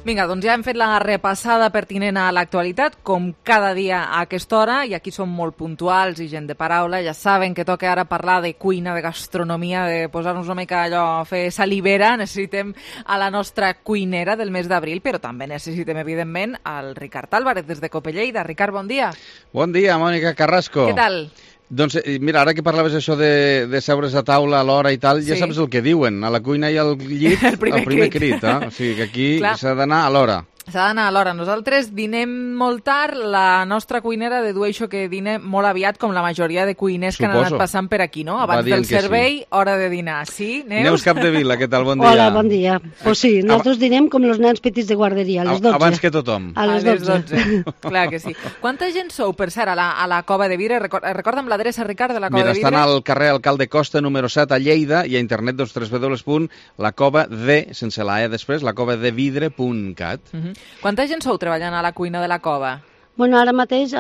Vinga, doncs ja hem fet la repassada pertinent a l'actualitat, com cada dia a aquesta hora, i aquí som molt puntuals i gent de paraula, ja saben que toca ara parlar de cuina, de gastronomia, de posar-nos una mica allò a fer salivera. Necessitem a la nostra cuinera del mes d'abril, però també necessitem, evidentment, al Ricard Álvarez, des de Copelleida. Ricard, bon dia. Bon dia, Mònica Carrasco. Què tal? Doncs mira, ara que parlaves això de seure's a taula a l'hora i tal, ja saps el que diuen, a la cuina i al llit el primer crit. O sigui que aquí s'ha d'anar a l'hora. S'ha d'anar a l'hora. Nosaltres dinem molt tard, la nostra cuinera dedueixo que dina molt aviat, com la majoria de cuiners que han anat passant per aquí, no? Abans del servei, hora de dinar. Sí, Neus? Neus Capdevila, què tal? Bon dia. Hola, bon dia. Pues sí, nosaltres dinem com els nens petits de guarderia, a les 12. Abans que tothom. A les 12. Clar que sí. Quanta gent sou, per cert, a la Cova de Vidre? Recorda'm l'adreça, Ricard, de la Cova de Vidre. Mira, estan al carrer Alcalde Costa, número 7, a Lleida, i a internet, www.lacovade, sense la E després, lacovadevidre.cat. Quanta gent sou treballant a la cuina de la Cova? Bueno, ara mateix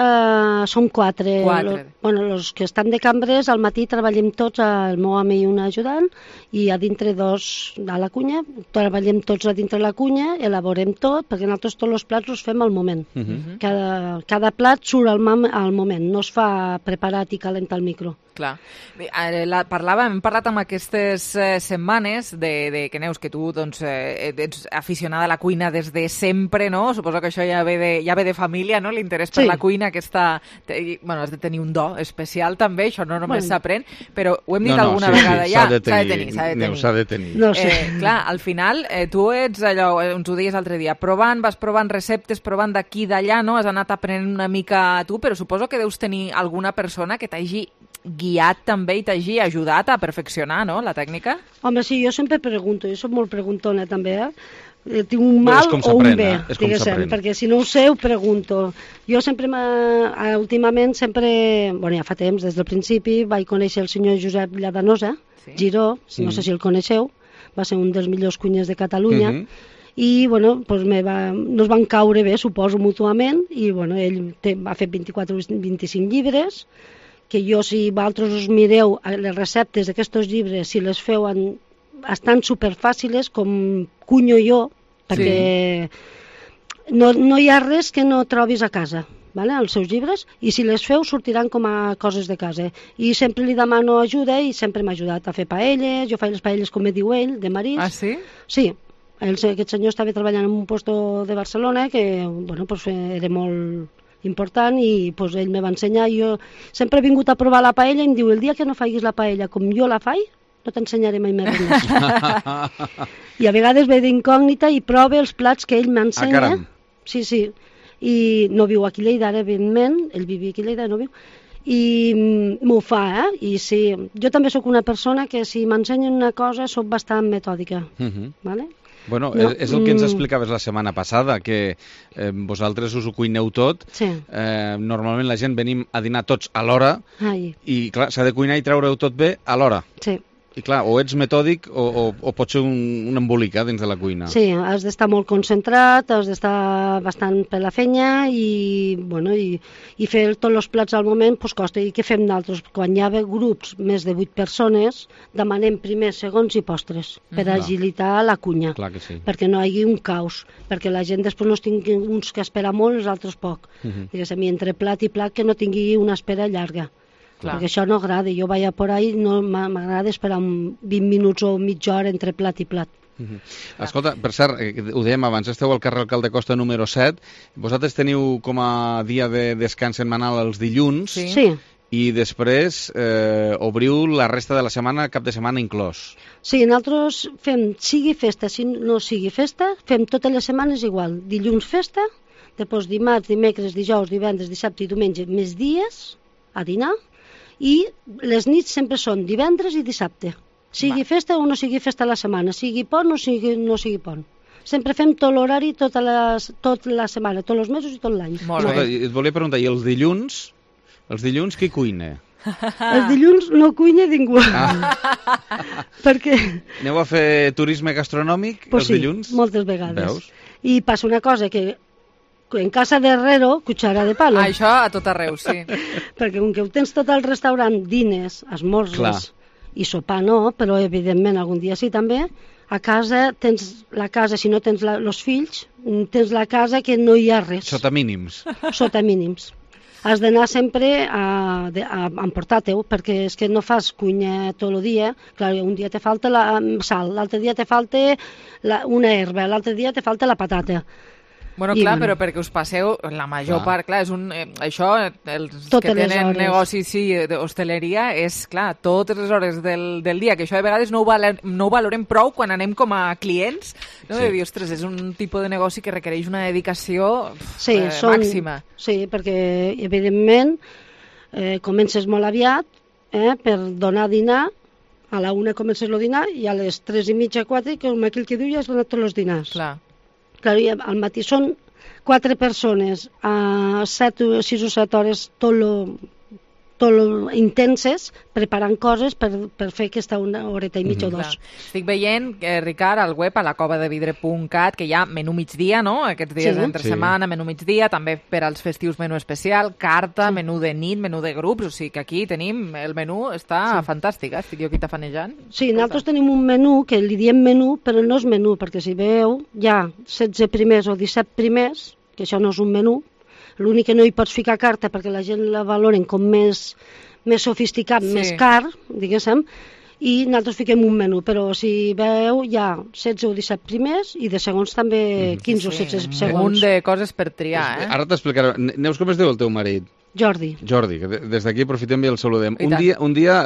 som 4. Bueno, els que estan de cambres, al matí treballem tots, el meu home i un ajudant, i a dintre 2 a la cuina, treballem tots a dintre la cuina, elaborem tot, perquè nosaltres tots els plats els fem al moment. Cada plat surt al moment, no es fa preparat i calent al micro. Clar. Hem parlat amb aquestes setmanes de que, Neus, que tu doncs, ets aficionada a la cuina des de sempre, no? Suposo que això ja ve de família, no? L'interès per la cuina, has de tenir un do especial també, això no només s'aprèn, però ho hem dit alguna vegada ja, s'ha de tenir. No sé. Clar, al final, tu ets allò, ens ho deies l'altre dia, vas provant receptes, provant d'aquí i d'allà, no? Has anat aprenent una mica tu, però suposo que deus tenir alguna persona que t'hagi guiat també i t'hagi ajudat a perfeccionar, no?, la tècnica? Home, sí, jo sempre pregunto, jo soc molt preguntona també, tinc un mal o un bé, diguéssim, perquè si no ho sé ho pregunto. Jo sempre, últimament, ja fa temps, des del principi, vaig conèixer el senyor Josep Lladanosa, Giró, no sé si el coneixeu, va ser un dels millors cuiners de Catalunya, i nos van caure bé, suposo, mútuament, i ell ha fet 24 o 25 llibres, que jo, si vosaltres us mireu les receptes d'aquests llibres, si les feu estan superfàciles, com cunyo jo, perquè no hi ha res que no trobis a casa, als seus llibres, i si les feu sortiran com a coses de casa. I sempre li demano ajuda i sempre m'ha ajudat a fer paelles, jo faig les paelles com me diu ell, de marís. Ah, sí? Sí. Aquest senyor estava treballant en un puesto de Barcelona que era molt important i ell me va ensenyar. Jo sempre he vingut a provar la paella i em diu, el dia que no faiguis la paella com jo la faig, no t'ensenyaré mai més res. I a vegades ve d'incògnita i prova els plats que ell m'ensenya. Sí. I no viu aquí a Lleida, ara, evidentment, ell vivia aquí a Lleida, no viu, i m'ho fa, I sí, jo també sóc una persona que si m'ensenyen una cosa sóc bastant metòdica, vale? Bueno, és el que ens explicaves la setmana passada, que vosaltres us ho cuineu tot. Normalment la gent venim a dinar tots a l'hora i, clar, s'ha de cuinar i treure-ho tot bé a l'hora. Sí. I clar, o ets metòdic o pot ser un embolica dins de la cuina. Sí, has d'estar molt concentrat, has d'estar bastant per la fenya i fer tots els plats al moment costa. I què fem nosaltres? Quan hi ha grups més de 8 persones, demanem primers, segons i postres per agilitar la cuina. Clar que sí. Perquè no hi hagi un caos, perquè la gent després no tingui uns que esperar molt i els altres poc. Diguéssim, entre plat i plat que no tingui una espera llarga. Clar. Perquè això no agrada. Jo vaig a por ahí, no m'agrada esperar 20 minuts o mitja hora entre plat i plat. Escolta, per cert, ho dèiem abans, esteu al carrer Alcalde Costa número 7, vosaltres teniu com a dia de descans setmanal els dilluns, i després obriu la resta de la setmana, cap de setmana inclòs. Sí, nosaltres fem, sigui festa, si no sigui festa, fem totes les setmanes igual. Dilluns festa, després dimarts, dimecres, dijous, divendres, dissabte i diumenge, més dies a dinar, i les nits sempre són divendres i dissabte. Sigui festa o no sigui festa a la setmana, sigui pont o no sigui pont. Sempre fem tot l'horari, tota la setmana, tots els mesos i tot l'any. Et volia preguntar, i els dilluns qui cuina? Els dilluns no cuina ningú. Perquè... Aneu a fer turisme gastronòmic els dilluns? Sí, moltes vegades. I passa una cosa, que en casa de herrero, cuchara de palo. Això a tot arreu, sí. Perquè com que ho tens tot al restaurant, dines, esmorzes i sopar no, però evidentment algun dia sí també, a casa tens la casa, si no tens els fills, tens la casa que no hi ha res. Sota mínims. Sota mínims. Has d'anar sempre a emportar-te-ho, perquè és que no fas cuina tot el dia. Clar, un dia te falta la sal, l'altre dia te falta una herba, l'altre dia te falta la patata. Bueno, clar, però perquè us passeu, la major part, clar, és això, els que tenen negocis d'hostaleria, és, clar, totes les hores del dia, que això de vegades no ho valorem prou quan anem com a clients, no? De dir, ostres, és un tipus de negoci que requereix una dedicació màxima. Sí, perquè, evidentment, comences molt aviat per donar a dinar, a la 1 comences el dinar i a les 3:30, 4, com aquell que diu, ja has donat tots els dinars. Clar. Clar, al matí són 4 persones a 6 o 7 hores tot intenses, preparant coses per fer aquesta una horeta i mitja o dos. Estic veient, Ricard, al web, a lacovadevidre.cat, que hi ha menú migdia, no? Aquests dies entre setmana, menú migdia, també per als festius menú especial, carta, menú de nit, menú de grups, o sigui que aquí tenim, el menú està fantàstic, estic jo aquí tafanejant. Sí, nosaltres tenim un menú que li diem menú, però no és menú, perquè si veieu, hi ha 16 primers o 17 primers, que això no és un menú. L'únic que no hi pots ficar carta perquè la gent la valoren com més sofisticat, més car, diguéssim, i nosaltres fiquem un menú, però si veu hi ha 16 o 17 primers i de segons també 15 o 16 segons. Un de coses per triar, Ara t'explicaré. Neus, com es diu el teu marit? Jordi, que des d'aquí aprofitem i el saludem. Un dia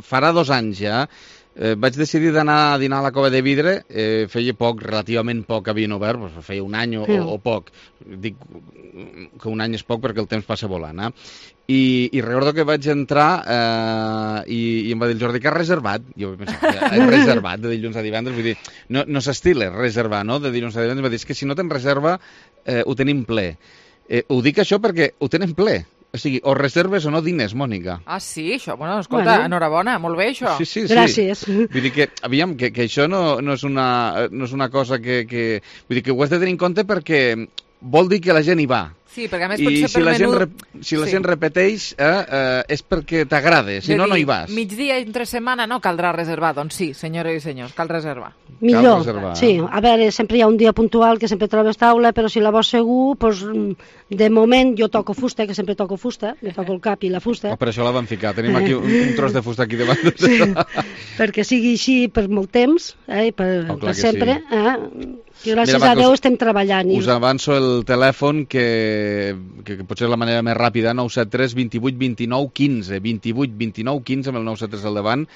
farà 2 anys ja, vaig decidir d'anar a dinar a la Cova de Vidre, feia poc, relativament poc havien obert, feia un any o poc. Dic que un any és poc perquè el temps passa volant, I recordo que vaig entrar i em va dir el Jordi que has reservat. Jo vaig pensar, he reservat de dilluns a divendres, vull dir, no s'estila reservar, no?, de dilluns a divendres. Va dir, és que si no tens reserva ho tenim ple. Ho dic això perquè ho tenen ple. O sigui, o reserves o no dines, Mònica. Ah, sí? Això, bueno, escolta, enhorabona, molt bé, això. Sí. Gràcies. Vull dir que, aviam, que això no és una cosa que... Vull dir que ho has de tenir en compte perquè vol dir que la gent hi va. Sí, perquè a més potser per menú... Si la gent repeteix és perquè t'agrada, si no hi vas. Migdia entre setmana no caldrà reservar, doncs sí, senyores i senyors, cal reservar. Millor, sí. A veure, sempre hi ha un dia puntual que sempre trobes taula, però si la vols segur, doncs, de moment jo toco fusta, que sempre toco fusta, jo toco el cap i la fusta. Per això la vam ficar, tenim aquí un tros de fusta aquí davant. Sí, perquè sigui així per molt temps, per sempre. I gràcies a Déu estem treballant. Us avanço el telèfon que potser és la manera més ràpida, 973 28 29 15, 28 29 15 amb el 973 al davant.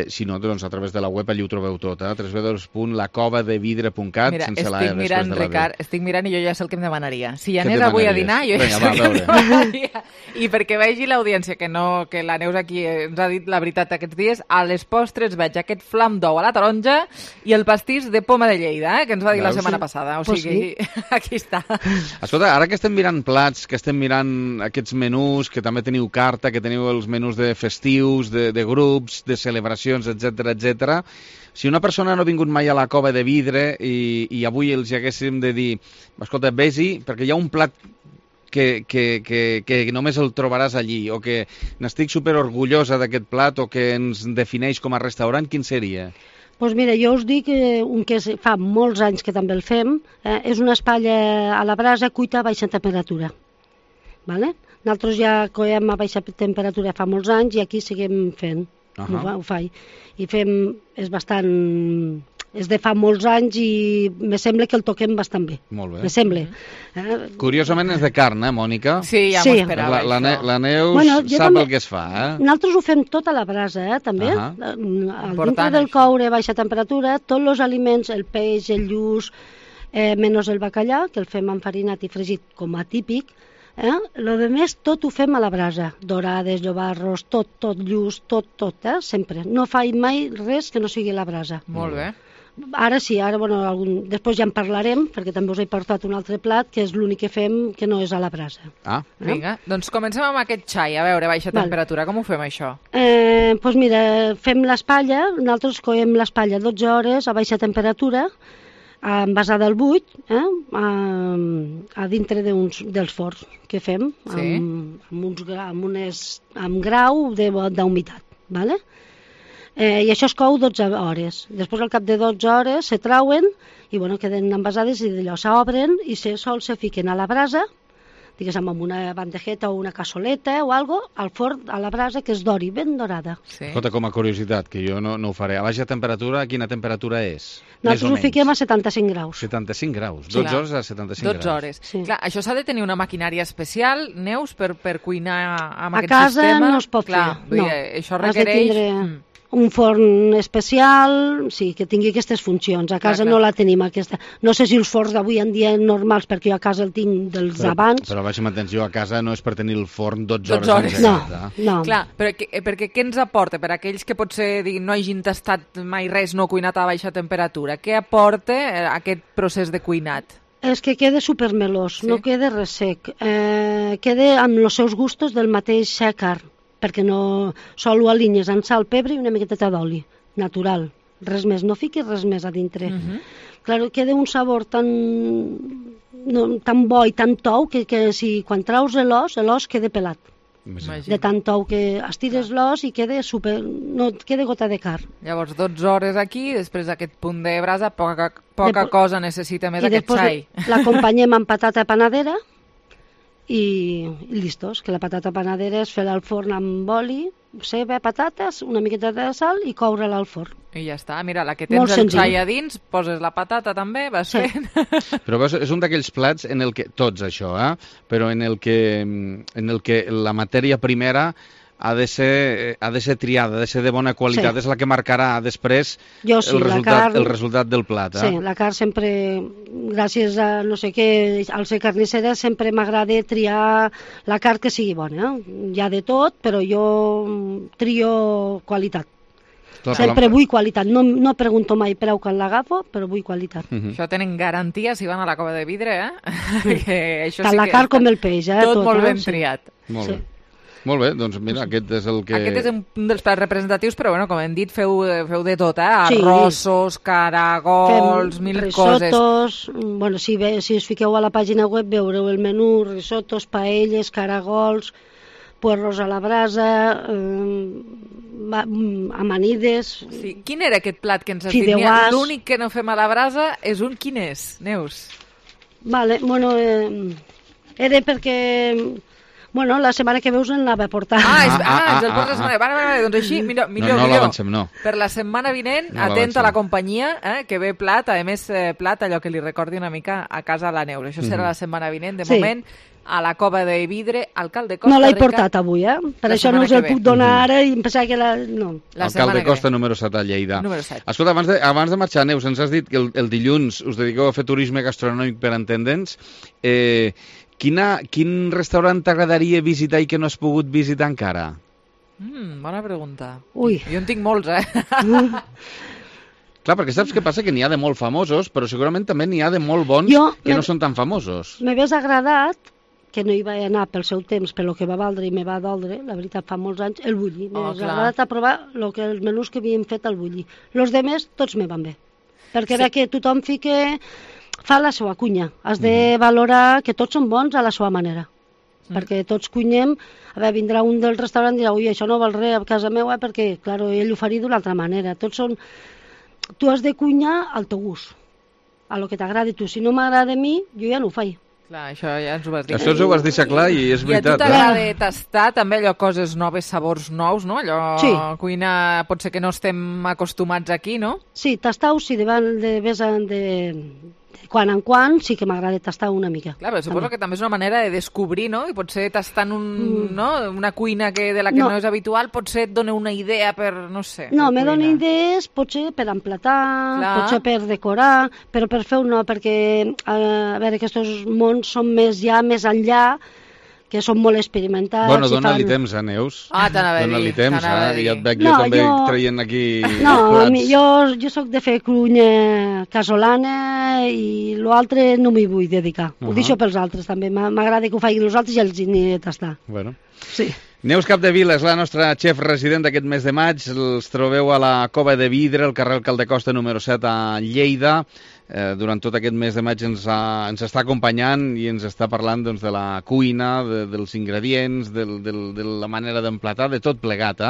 Si no, doncs a través de la web allí ho trobeu tot, www.lacovadevidre.cat sense la E després de la B. Estic mirant i jo ja sé el que em demanaria. Si anés avui a dinar, jo ja sé el que em demanaria. I perquè vegi l'audiència que la Neus aquí ens ha dit la veritat aquests dies, a les postres veig aquest flam d'ou a la taronja i el pastís de poma de Lleida, que ens va dir la setmana passada. O sigui, aquí està. Escolta, ara que estem mirant plats, que estem mirant aquests menús, que també teniu carta, que teniu els menús de festius, de grups, de celebracions, etc. Si una persona no ha vingut mai a la Cova de Vidre i avui els haguéssim de dir, escolta, vés-hi, perquè hi ha un plat que només el trobaràs allí, o que n'estic superorgullosa d'aquest plat, o que ens defineix com a restaurant, quin seria? Doncs mira, jo us dic un que fa molts anys que també el fem, és una espatlla a la brasa cuita a baixa temperatura. Vale? Nosaltres ja coem a baixa temperatura fa molts anys i aquí seguim fent. Ho faig. I fem, és de fa molts anys i me sembla que el toquem bastant bé. Molt bé. Me sembla. Curiosament és de carn, Mònica? Sí, ja m'ho esperava. La Neus sap el que es fa, Nosaltres ho fem tot a la brasa, també. Dintre del coure a baixa temperatura, tots els aliments, el peix, el lluç, menys el bacallà, que el fem enfarinat i fregit com a típic. Lo de més tot ho fem a la brasa, dorades, llobarros, tot lluç, tot, sempre. No faig mai res que no sigui a la brasa. Molt bé. Ara sí, després ja en parlarem, perquè també us he portat un altre plat, que és l'únic que fem que no és a la brasa. Vinga, doncs comencem amb aquest xai, a veure, baixa temperatura, com ho fem això? Doncs mira, fem l'espatlla, nosaltres coem l'espatlla 12 hores a baixa temperatura, envasada al buit, a dintre dels forns que fem, amb grau d'humitat. Vale? I això es cou 12 hores. Després, al cap de 12 hores, se trauen i queden envasades i d'allò s'obren i sols se fiquen a la brasa, diguéssim, amb una bandejeta o una cassoleta o algo, al forn, a la brasa, que es dori ben dorada. Escolta, com a curiositat, que jo no ho faré, a baixa temperatura, quina temperatura és? Nosaltres ho fiquem a 75 graus. 75 graus, 12 hores a 75 graus. 12 hores. Clar, això s'ha de tenir una maquinària especial, Neus, per cuinar amb aquest sistema? A casa no es pot fer, no. Això requereix un forn especial, sí, que tingui aquestes funcions. A casa no la tenim, aquesta. No sé si els forns d'avui en dia normals, perquè jo a casa el tinc dels abans. Però baixa'm atenció, a casa no és per tenir el forn 12 hores. No. Clar, perquè què ens aporta? Per aquells que potser no hagin tastat mai res no cuinat a baixa temperatura, què aporta aquest procés de cuinat? És que queda supermelós, no queda res sec. Queda amb els seus gustos del mateix carn, perquè no sol ho alinyes amb sal, pebre i una miqueta d'oli, natural. Res més, no fiquis res més a dintre. Clar, queda un sabor tan bo i tan tou que si quan traus l'os queda pelat. De tant tou que estires l'os i queda no queda gota de carn. Llavors 12 hores aquí, després d'aquest punt de brasa, poca cosa necessita més aquest xai. I després l'acompanyem amb patata panadera i listos, que la patata panadera és fer-la al forn amb oli, ceba, patates, una miqueta de sal i coure-la al forn. I ja està, mira, la que tens el xai a dins, poses la patata també, vas fent. Però veus, és un d'aquells plats en el que, tots això, però en el que la matèria primera ha de ser triada, ha de ser de bona qualitat, és la que marcarà després el resultat del plat. Sí, la carn sempre, gràcies a no sé què, al ser carnissera, sempre m'agrada triar la carn que sigui bona. Hi ha de tot, però jo trio qualitat. Sempre vull qualitat, no pregunto mai preu quan l'agafo, però vull qualitat. Això tenen garantia si van a la cova de vidre, Tant la carn com el peix, tot molt ben triat. Molt bé. Molt bé, doncs mira, aquest és el que... Aquest és un dels plats representatius, però com hem dit, feu de tot, arrossos, caragols, mil risotos, coses. Si us fiqueu a la pàgina web veureu el menú, risotos, paelles, caragols, puerros a la brasa, amanides... Sí. Quin era aquest plat que ens has dit? L'únic que no fem a la brasa és quin és, Neus? Era perquè... la setmana que veus anava a portar. És el porta la setmana. Vale, doncs així, millor. No l'avancem, no. Per la setmana vinent, atenta a la companyia, que ve plat, a més plat, allò que li recordi una mica a casa a la Neus. Això serà la setmana vinent, de moment, a la Cova de Vidre, alcalde Costa. No l'he portat avui, Per això no us el puc donar ara i em pensava que no. Alcalde Costa, número 7 a Lleida. Número 7. Escolta, abans de marxar, Neus, ens has dit que el dilluns us dediqueu a fer turisme gastronòmic per entendents. Quin restaurant t'agradaria visitar i que no has pogut visitar encara? Bona pregunta. Ui. Jo en tinc molts, Clar, perquè saps què passa? Que n'hi ha de molt famosos, però segurament també n'hi ha de molt bons que no són tan famosos. M'hagués agradat, que no hi vaig anar pel seu temps, pel que va valdre i me va doldre, la veritat, fa molts anys, el bulli. M'hagués agradat a provar els menús que havíem fet al bulli. Els demés, tots me van bé. Perquè era que tothom fa la seva cuina. Has de valorar que tots són bons a la seva manera. Perquè tots cuinem, vindrà un del restaurant i dirà, ui, això no val res a casa meva, perquè, clar, ell ho faria d'una altra manera. Tu has de cuinar al teu gust, a lo que t'agradi tu. Si no m'agrada a mi, jo ja no ho faig. Clar, això ja ens ho vas dir. Això ens ho vas deixar clar i és veritat. I a tu t'agrada tastar també allò, coses noves, sabors nous, no? Allò, cuina, pot ser que no estem acostumats aquí, no? Sí, tastar-ho, sí, de quan en quan sí que m'agrada tastar una mica. Clar, però suposo que també és una manera de descobrir, no? I potser tastant una cuina de la que no és habitual, potser et dona una idea per, no sé... No, me dona idees, potser per emplatar, potser per decorar, però per fer no, perquè, a veure, aquests mons són més enllà, que són molt experimentats. Bueno, dona-li temps, Neus. T'anava a dir. Dona-li temps, ja et veig jo també traient aquí plats. Jo soc de fer cuina casolana i l'altre no m'hi vull dedicar. Ho deixo pels altres també. M'agrada que ho facin els altres i els n'hi he de tastar. Bueno. Sí. Neus Capdevila és la nostra xef resident d'aquest mes de maig. Els trobeu a la Cova de Vidre, al carrer Alcalde Costa número 7 a Lleida. Durant tot aquest mes de maig ens està acompanyant i ens està parlant de la cuina, dels ingredients, de la manera d'emplatar, de tot plegat.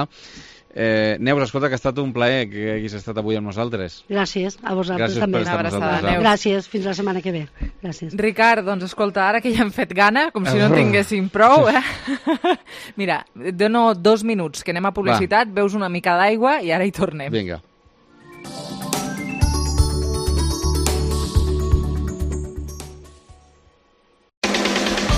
Neus, escolta, que ha estat un plaer que haguis estat avui amb nosaltres. Gràcies, a vosaltres també. Gràcies per estar amb nosaltres. Gràcies, fins la setmana que ve. Gràcies. Ricard, doncs escolta, ara que ja hem fet gana, com si no en tinguéssim prou, Mira, dono 2 minuts, que anem a publicitat, veus una mica d'aigua i ara hi tornem. Vinga.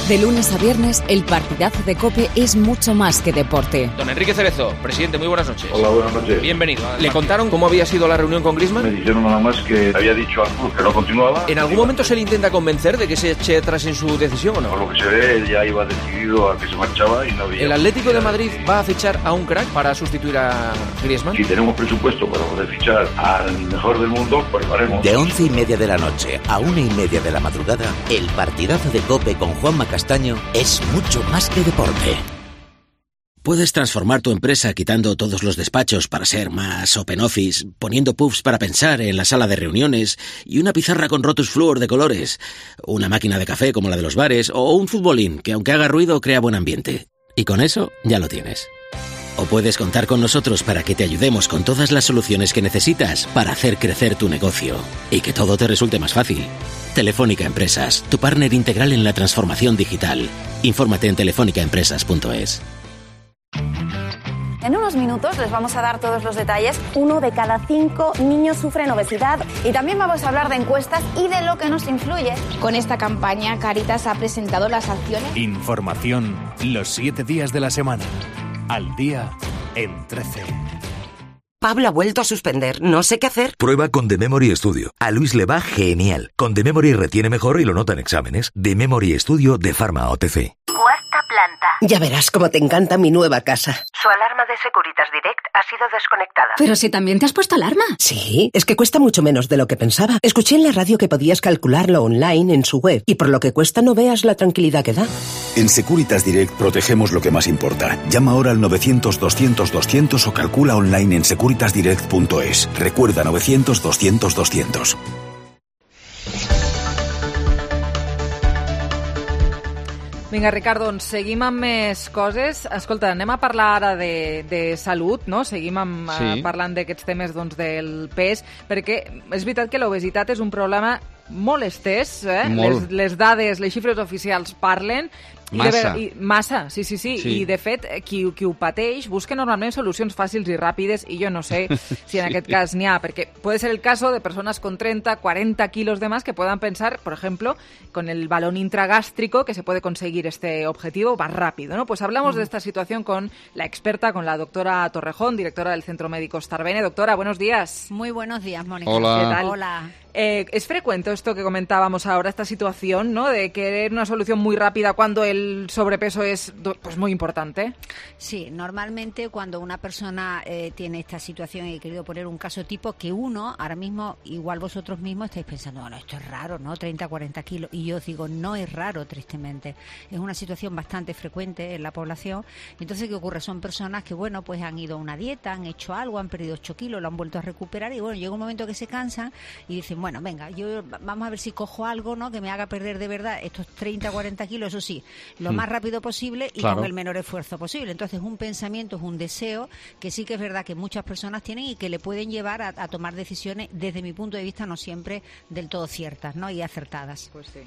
De lunes a viernes, el partidazo de COPE es mucho más que deporte. Don Enrique Cerezo, presidente, muy buenas noches. Hola, buenas noches. Bienvenido. ¿Le contaron cómo había sido la reunión con Griezmann? Me dijeron nada más que había dicho al club que no continuaba. ¿En algún momento se le intenta convencer de que se eche atrás en su decisión o no? Por lo que se ve, él ya iba decidido a que se marchaba y no había... ¿El Atlético de Madrid va a fichar a un crack para sustituir a Griezmann? Si tenemos presupuesto para poder fichar al mejor del mundo, pues lo haremos. De 11:30 de la noche a 1:30 de la madrugada, el partidazo de COPE con Juanma Castaño es mucho más que deporte. Puedes transformar tu empresa quitando todos los despachos para ser más open office, poniendo puffs para pensar en la sala de reuniones y una pizarra con Rotus Fluor de colores, una máquina de café como la de los bares o un futbolín que aunque haga ruido crea buen ambiente. Y con eso ya lo tienes. O puedes contar con nosotros para que te ayudemos con todas las soluciones que necesitas para hacer crecer tu negocio y que todo te resulte más fácil. Telefónica Empresas, tu partner integral en la transformación digital. Infórmate en telefonicaempresas.es. En unos minutos les vamos a dar todos los detalles. 1 de cada 5 niños sufren obesidad y también vamos a hablar de encuestas y de lo que nos influye. Con esta campaña, Cáritas ha presentado las acciones. Información los 7 días de la semana. Al día en 13. Pablo ha vuelto a suspender, no sé qué hacer. Prueba con The Memory Studio. A Luis le va genial. Con The Memory retiene mejor y lo nota en exámenes. The Memory Studio de Pharma OTC. Cuarta planta. Ya verás cómo te encanta mi nueva casa. Su alarma de Securitas Direct ha sido desconectada. Pero si también te has puesto alarma. Sí, es que cuesta mucho menos de lo que pensaba. Escuché en la radio que podías calcularlo online en su web y por lo que cuesta no veas la tranquilidad que da. En Securitas Direct protegemos lo que más importa. Llama ahora al 900-200-200 o calcula online en securitasdirect.es. Recuerda 900-200-200. Vinga, Ricard, doncs seguim amb més coses. Escolta, anem a parlar ara de salut, no? Seguim parlant d'aquests temes del pes, perquè és veritat que l'obesitat és un problema molt estès, molt. Les dades, les xifres oficials parlen. Massa, sí. I de fet, qui ho pateix busca normalment solucions fàcils i ràpides i jo no sé si en aquest cas n'hi ha, perquè puede ser el caso de personas con 30, 40 kilos de más que puedan pensar, por ejemplo, con el balón intragástrico que se puede conseguir este objetivo más rápido, ¿no? Pues hablamos de esta situación con la experta, con la doctora Torrejón, directora del Centro Médico Starbene. Doctora, buenos días. Muy buenos días, Mónica. Hola. ¿Qué tal? Hola. ¿Es frecuente esto que comentábamos ahora, esta situación, ¿no?, de querer una solución muy rápida cuando el sobrepeso es pues muy importante? Sí, normalmente cuando una persona tiene esta situación, y he querido poner un caso tipo, que uno, ahora mismo, igual vosotros mismos estáis pensando, bueno, esto es raro, ¿no?, 30, 40 kilos, y yo os digo, no es raro, tristemente. Es una situación bastante frecuente en la población. Entonces, ¿qué ocurre? Son personas que, bueno, pues han ido a una dieta, han hecho algo, han perdido 8 kilos, lo han vuelto a recuperar, y bueno, llega un momento que se cansan y dicen, bueno, venga, vamos a ver si cojo algo, ¿no?, que me haga perder de verdad estos 30, 40 kilos, eso sí, lo más rápido posible y con el menor esfuerzo posible. Entonces, un pensamiento, es un deseo que sí que es verdad que muchas personas tienen y que le pueden llevar a tomar decisiones, desde mi punto de vista, no siempre del todo ciertas, ¿no?, y acertadas. Pues sí.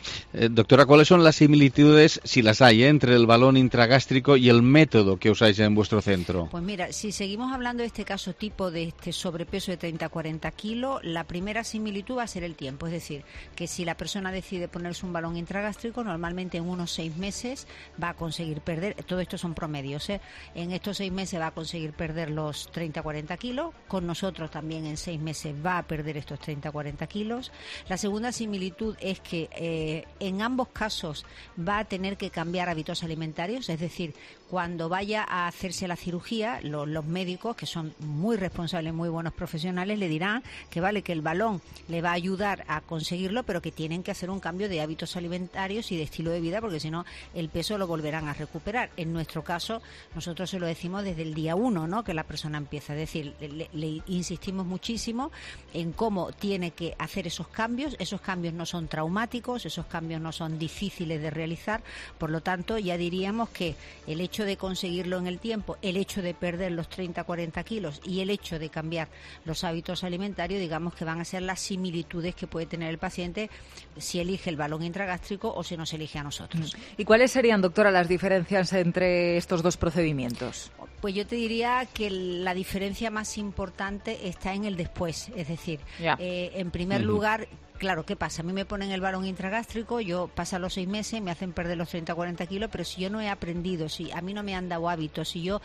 Doctora, ¿cuáles son las similitudes, si las hay, entre el balón intragástrico y el método que usáis en vuestro centro? Pues mira, si seguimos hablando de este caso tipo de este sobrepeso de 30-40 kilos, la primera similitud va a ser el tiempo. Es decir, que si la persona decide ponerse un balón intragástrico, normalmente en unos 6 meses va a conseguir perder, todo esto son promedios, en estos 6 meses va a conseguir perder los 30-40 kilos, con nosotros también en 6 meses va a perder estos 30-40 kilos. La segunda similitud es que en ambos casos va a tener que cambiar hábitos alimentarios, es decir, cuando vaya a hacerse la cirugía, los médicos, que son muy responsables, muy buenos profesionales, le dirán que vale, que el balón le va a ayudar a conseguirlo, pero que tienen que hacer un cambio de hábitos alimentarios y de estilo de vida, porque si no, el peso lo volverán a recuperar. En nuestro caso, nosotros se lo decimos desde el día 1, ¿no?, que la persona empieza. Es decir, le insistimos muchísimo en cómo tiene que hacer esos cambios. Esos cambios no son traumáticos, esos cambios no son difíciles de realizar, por lo tanto, ya diríamos que el hecho hecho de conseguirlo en el tiempo, el hecho de perder los 30-40 kilos y el hecho de cambiar los hábitos alimentarios, digamos que van a ser las similitudes que puede tener el paciente si elige el balón intragástrico o si nos elige a nosotros. ¿Y cuáles serían, doctora, las diferencias entre estos dos procedimientos? Pues yo te diría que la diferencia más importante está en el después, es decir, en primer lugar, claro, ¿qué pasa? A mí me ponen el balón intragástrico, yo pasan los 6 meses, me hacen perder los 30-40 kilos, pero si yo no he aprendido, si a mí no me han dado hábitos, si yo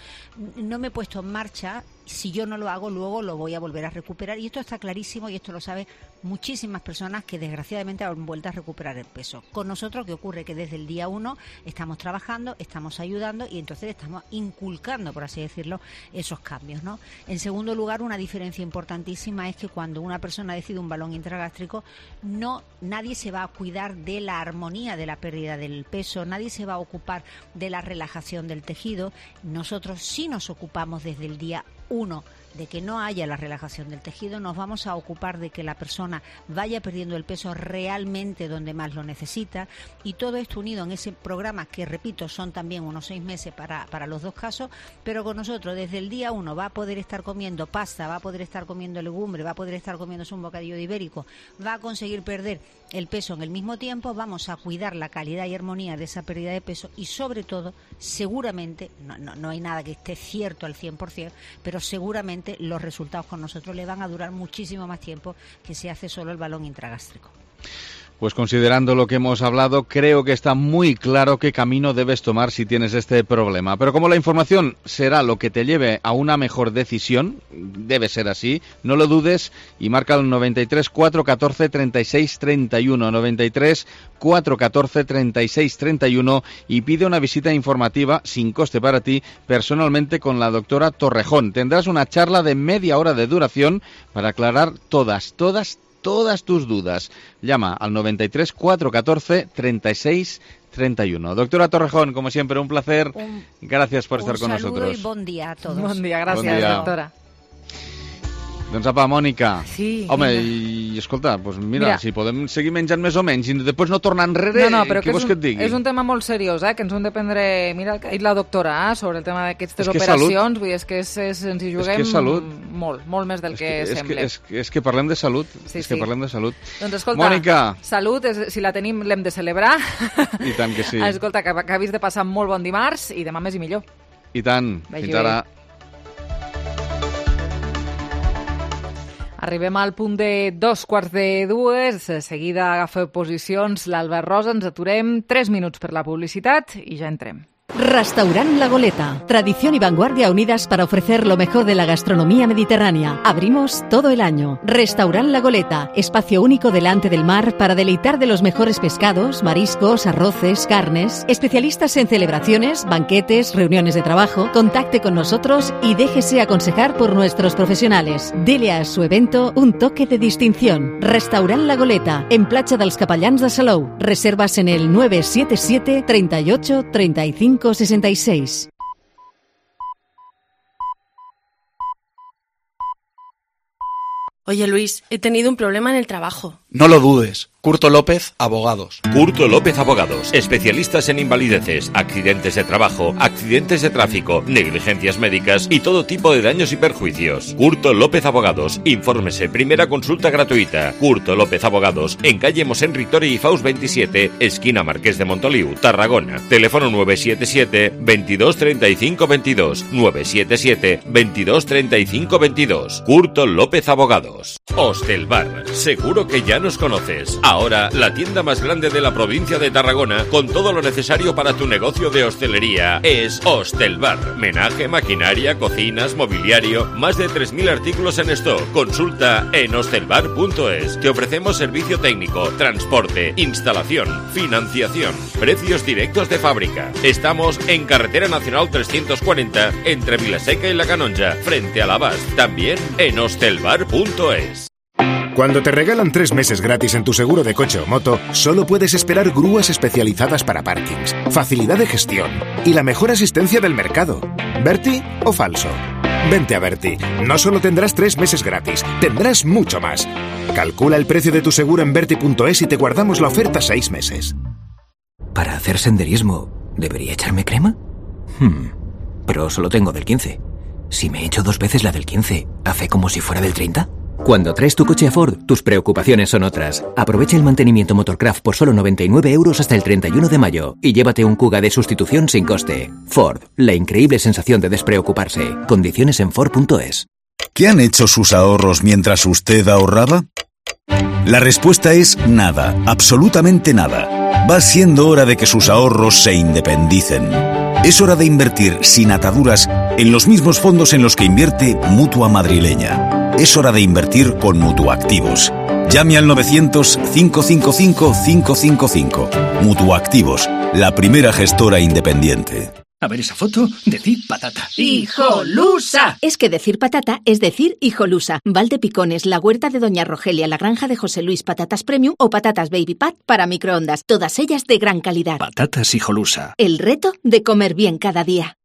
no me he puesto en marcha, si yo no lo hago, luego lo voy a volver a recuperar. Y esto está clarísimo y esto lo saben muchísimas personas que desgraciadamente han vuelto a recuperar el peso. Con nosotros, ¿qué ocurre? Que desde el día 1 estamos trabajando, estamos ayudando y entonces estamos inculcando, por así decirlo, esos cambios, ¿no? En segundo lugar, una diferencia importantísima es que cuando una persona decide un balón intragástrico, nadie se va a cuidar de la armonía de la pérdida del peso, nadie se va a ocupar de la relajación del tejido. Nosotros sí nos ocupamos desde el día 1 de que no haya la relajación del tejido, nos vamos a ocupar de que la persona vaya perdiendo el peso realmente donde más lo necesita, y todo esto unido en ese programa que, repito, son también unos 6 meses para los dos casos, pero con nosotros desde el día 1 va a poder estar comiendo pasta, va a poder estar comiendo legumbre, va a poder estar comiéndose un bocadillo de ibérico, va a conseguir perder el peso en el mismo tiempo, vamos a cuidar la calidad y armonía de esa pérdida de peso y sobre todo, seguramente, no hay nada que esté cierto al 100%, pero seguramente los resultados con nosotros le van a durar muchísimo más tiempo que si hace solo el balón intragástrico. Pues considerando lo que hemos hablado, creo que está muy claro qué camino debes tomar si tienes este problema. Pero como la información será lo que te lleve a una mejor decisión, debe ser así, no lo dudes y marca el 93 414 36 31, 93 414 36 31 y pide una visita informativa sin coste para ti personalmente con la doctora Torrejón. Tendrás una charla de media hora de duración para aclarar todas tus dudas. Llama al 93 414 36 31. Doctora Torrejón, como siempre, un placer. Gracias por estar con nosotros. Un saludo y bon dia a todos. Bon dia, gràcies, doctora. Doncs apa, Mònica. Sí. Home, i escolta, doncs mira, si podem seguir menjant més o menys i després no tornar enrere, què vols que et digui? És un tema molt seriós, que ens hem de prendre... Mira el que ha dit la doctora sobre el tema d'aquestes operacions, vull dir, és que ens hi juguem molt més del que sembla. És que parlem de salut, que parlem de salut. Doncs escolta, Mònica. Salut, si la tenim l'hem de celebrar. I tant que sí. Escolta, que acabis de passar molt bon dimarts i demà més i millor. I tant, fins ara. Arribem al punt de 2:15. De seguida agafa posicions l'Albert Rosa. Ens aturem 3 minuts per la publicitat i ja entrem. Restaurant La Goleta. Tradición y vanguardia unidas para ofrecer lo mejor de la gastronomía mediterránea. Abrimos todo el año. Restaurant La Goleta. Espacio único delante del mar para deleitar de los mejores pescados, mariscos, arroces, carnes. Especialistas en celebraciones, banquetes, reuniones de trabajo. Contacte con nosotros y déjese aconsejar por nuestros profesionales. Dele a su evento un toque de distinción. Restaurant La Goleta. En Platja dels Capellans de Salou. Reservas en el 977 38 35 66. Oye, Luis, he tenido un problema en el trabajo. No lo dudes. Curto López, Abogados. Curto López Abogados. Especialistas en invalideces, accidentes de trabajo, accidentes de tráfico, negligencias médicas y todo tipo de daños y perjuicios. Curto López Abogados. Infórmese. Primera consulta gratuita. Curto López Abogados. En calle Mosén Ritori y Faust 27, esquina Marqués de Montoliu, Tarragona. Teléfono 977 22 35 22. 977 22 35 22. Curto López Abogados. Hostelbar. Seguro que ya nos conoces. Ahora, la tienda más grande de la provincia de Tarragona, con todo lo necesario para tu negocio de hostelería, es Hostelbar. Menaje, maquinaria, cocinas, mobiliario, más de 3.000 artículos en stock. Consulta en hostelbar.es. Te ofrecemos servicio técnico, transporte, instalación, financiación, precios directos de fábrica. Estamos en Carretera Nacional 340, entre Vilaseca y La Canonja, frente a la Bast. También en hostelbar.es. Cuando te regalan 3 meses gratis en tu seguro de coche o moto, solo puedes esperar grúas especializadas para parkings, facilidad de gestión y la mejor asistencia del mercado. ¿Berti o falso? Vente a Berti. No solo tendrás 3 meses gratis, tendrás mucho más. Calcula el precio de tu seguro en Berti.es y te guardamos la oferta 6 meses. ¿Para hacer senderismo, debería echarme crema? Pero solo tengo del 15. Si me echo 2 veces la del 15, ¿hace como si fuera del 30? Cuando traes tu coche a Ford, tus preocupaciones son otras. Aprovecha el mantenimiento Motorcraft por solo 99 € hasta el 31 de mayo y llévate un Kuga de sustitución sin coste. Ford, la increíble sensación de despreocuparse. Condiciones en Ford.es. ¿Qué han hecho sus ahorros mientras usted ahorraba? La respuesta es nada, absolutamente nada. Va siendo hora de que sus ahorros se independicen. Es hora de invertir sin ataduras en los mismos fondos en los que invierte Mutua Madrileña. Es hora de invertir con Mutuactivos. Llame al 900-555-555. Mutuactivos, la primera gestora independiente. A ver esa foto, decir patata. ¡Hijolusa! Es que decir patata es decir hijolusa. Valdepicones, la huerta de Doña Rogelia, la granja de José Luis, patatas premium o patatas baby pat para microondas. Todas ellas de gran calidad. Patatas hijolusa. El reto de comer bien cada día.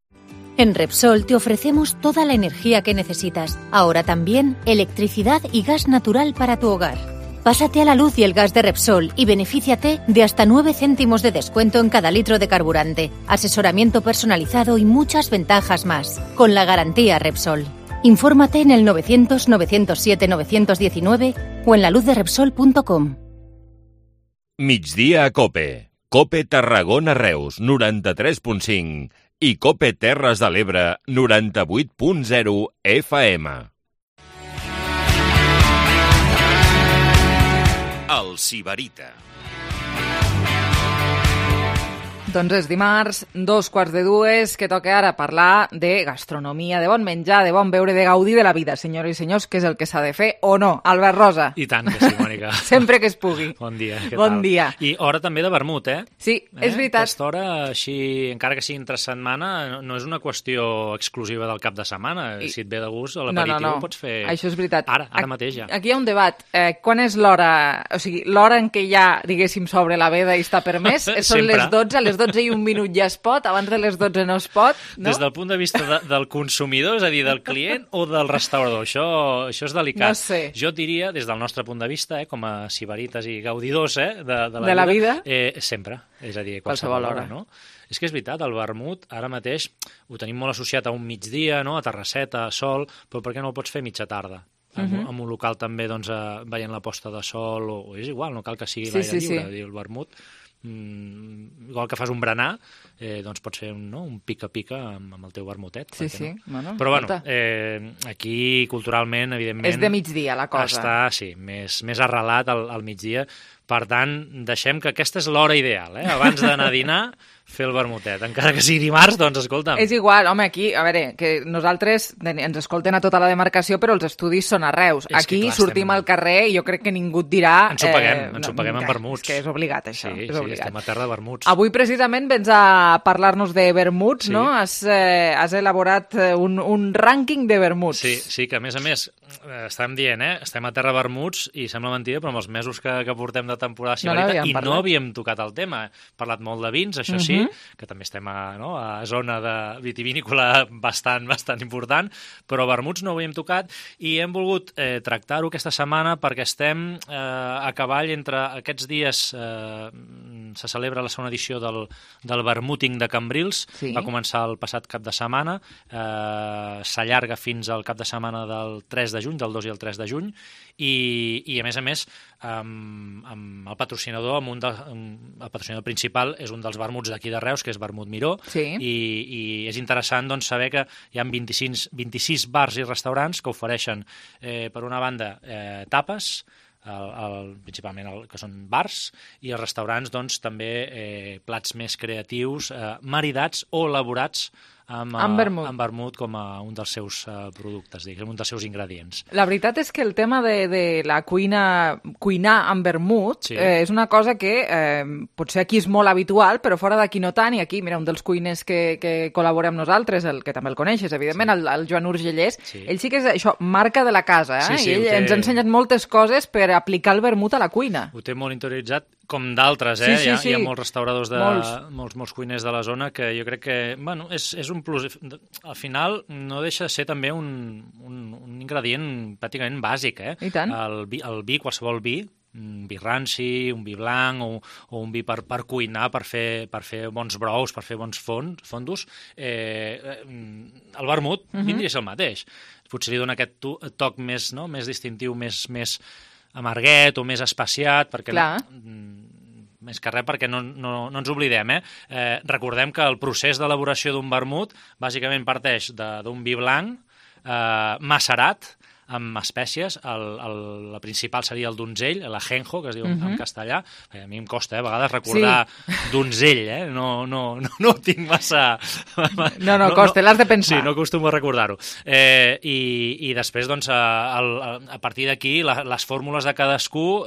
En Repsol te ofrecemos toda la energía que necesitas. Ahora también electricidad y gas natural para tu hogar. Pásate a la luz y el gas de Repsol y benefíciate de hasta 9 céntimos de descuento en cada litro de carburante, asesoramiento personalizado y muchas ventajas más, con la garantía Repsol. Infórmate en el 900-907-919 o en laluzderepsol.com. Migdia a Cope. Cope Tarragona Reus, 93.5 i Cope Terres de l'Ebre, 98.0 FM. El Sibarita. Doncs és dimarts, 2:45, que toca ara parlar de gastronomia, de bon menjar, de bon beure, de gaudir de la vida, senyores i senyors, que és el que s'ha de fer o no. Albert Rosa. I tant que sí, Mònica. Sempre que es pugui. Bon dia, què bon tal? Dia. I hora també de vermut, eh? Sí, és veritat. Aquesta hora, així, encara que sigui entre setmana, no és una qüestió exclusiva del cap de setmana. Si et ve de gust, l'aperitiu ho pots fer... Això és veritat. Ara mateix ja. Aquí hi ha un debat. Quan és l'hora... O sigui, l'hora en què ja, diguéssim, s'obre la veda i està permès? Són les 12, a les 12 i un minut ja es pot, abans de les 12 no es pot, no? Des del punt de vista del consumidor, és a dir, del client o del restaurador, això és delicat. No sé. Jo diria, des del nostre punt de vista, com a sibarites i gaudidors de la vida, sempre, és a dir, qualsevol hora, no? És que és veritat, el vermut ara mateix ho tenim molt associat a un migdia, no? A terrasseta, a sol, però per què no ho pots fer mitja tarda? En un local també, doncs, veient la posta de sol, o és igual, no cal que sigui l'aire lliure, el vermut. Igual que fas un berenar, doncs pots fer un pica-pica amb el teu vermutet. Sí. Bueno, però bueno, aquí culturalment, evidentment... És de migdia la cosa. Està, sí, més arrelat al migdia. Per tant, deixem que aquesta és l'hora ideal, abans d'anar a dinar, fer el vermutet. Encara que sigui dimarts, doncs escolta'm. És igual, home, aquí, a veure, que nosaltres ens escolten a tota la demarcació, però els estudis són a Reus. Aquí sortim al carrer i jo crec que ningú et dirà... Ens ho paguem amb vermuts. És que és obligat, això. Sí, estem a terra de vermuts. Avui, precisament, vens a parlar-nos de vermuts, no? Has elaborat un rànquing de vermuts. Sí, que a més, estàvem dient, estem a terra de vermuts i sembla mentida, però amb els mesos que portem de temporada sibarita no havíem tocat el tema. Hem parlat molt de vins, això sí, que també estem a zona de vitivinícola bastant important, però vermuts no ho havíem tocat i hem volgut tractar-ho aquesta setmana perquè estem a cavall entre aquests dies. Se celebra la segona edició del Vermuting de Cambrils. Va començar el passat cap de setmana, s'allarga fins al cap de setmana del 3 de juny, del 2 i el 3 de juny, i a més amb el patrocinador, el patrocinador principal és un dels vermuts d'aquí de Reus, que és Vermut Miró, i és interessant doncs, saber que hi ha 26 bars i restaurants que ofereixen, per una banda, tapes, principalment que són bars, i els restaurants doncs, també plats més creatius, maridats o elaborats amb vermut com a un dels seus productes, diguem, un dels seus ingredients. La veritat és que el tema de la cuinar amb vermut és una cosa que potser aquí és molt habitual, però fora d'aquí no tant, i aquí, mira, un dels cuiners que col·labora amb nosaltres, el que també el coneixes, evidentment, el Joan Urgellés, ell sí que és això, marca de la casa, i ell ens ha ensenyat moltes coses per aplicar el vermut a la cuina. Ho té molt interioritzat, com d'altres, hi ha molts restauradors, molts cuiners de la zona que jo crec que, bueno, és un plus. Al final no deixa de ser també un ingredient pràcticament bàsic, I tant. El vi, qualsevol vi, un vi ranci, un vi blanc o un vi per cuinar, per fer bons brous, per fer bons fondos, el vermut vindria a ser el mateix. Potser li dona aquest toc més distintiu, més amarguet o més especiat, perquè més que res perquè no ens oblidem. Recordem que el procés d'elaboració d'un vermut bàsicament parteix d'un vi blanc macerat amb espècies. La principal seria el donzell, l'ajenjo, que es diu en castellà. A mi em costa, a vegades, recordar donzell, no ho tinc massa... No, costa, l'has de pensar. Sí, no acostumo a recordar-ho. I després, doncs, a partir d'aquí, les fórmules de cadascú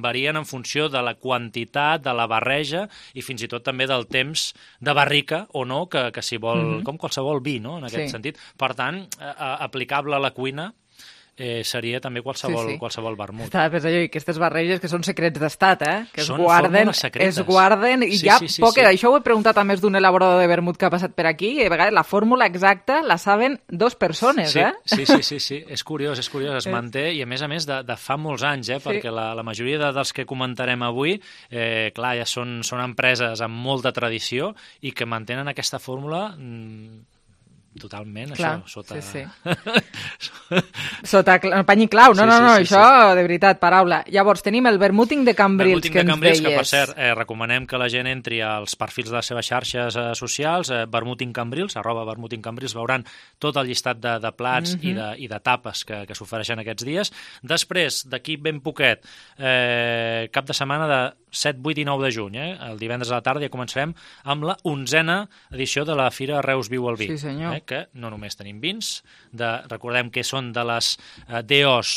varien en funció de la quantitat, de la barreja i fins i tot també del temps de barrica o no, que s'hi vol, com qualsevol vi, no?, en aquest sentit. Per tant, aplicable a la cuina, seria també qualsevol vermut. Estava pensant jo, i aquestes barreges que són secrets d'estat, que són fórmules secretes. Es guarden, i això ho he preguntat a més d'un elaborador de vermut que ha passat per aquí, i a vegades la fórmula exacta la saben 2 persones, Sí, és curiós, es manté, i a més de fa molts anys, perquè la majoria dels que comentarem avui, clar, ja són empreses amb molta tradició i que mantenen aquesta fórmula totalment, clar, això, sota... sota pany i clau, això, de veritat, paraula. Llavors, tenim el vermuting de Cambrils, que ens deies. Que, per cert, recomanem que la gent entri als perfils de les seves xarxes socials, vermuting Cambrils, @vermuting Cambrils, veuran tot el llistat de plats i de tapes que s'ofereixen aquests dies. Després, d'aquí ben poquet, cap de setmana de 7, 8 i 9 de juny, el divendres a la tarda ja començarem amb la 11a edició de la Fira Reus Viu al Vi. Sí, senyor. Que no només tenim vins, recordem que són de les DOs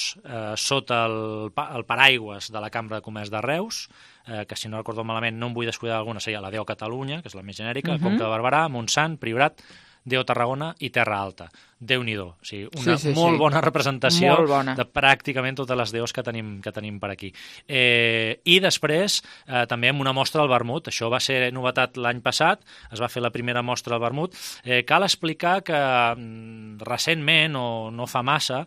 sota el paraigües de la Cambra de Comerç de Reus, que si no recordo malament no em vull descuidar alguna, seria la DO Catalunya, que és la més genèrica, el Comte de Barberà, Montsant, Priorat, DO Tarragona i Terra Alta. Déu-n'hi-do, o sigui, una molt bona representació de pràcticament totes les DOs que tenim per aquí. I després, també amb una mostra del vermut, això va ser novetat l'any passat, es va fer la primera mostra del vermut. Cal explicar que recentment, o no fa massa,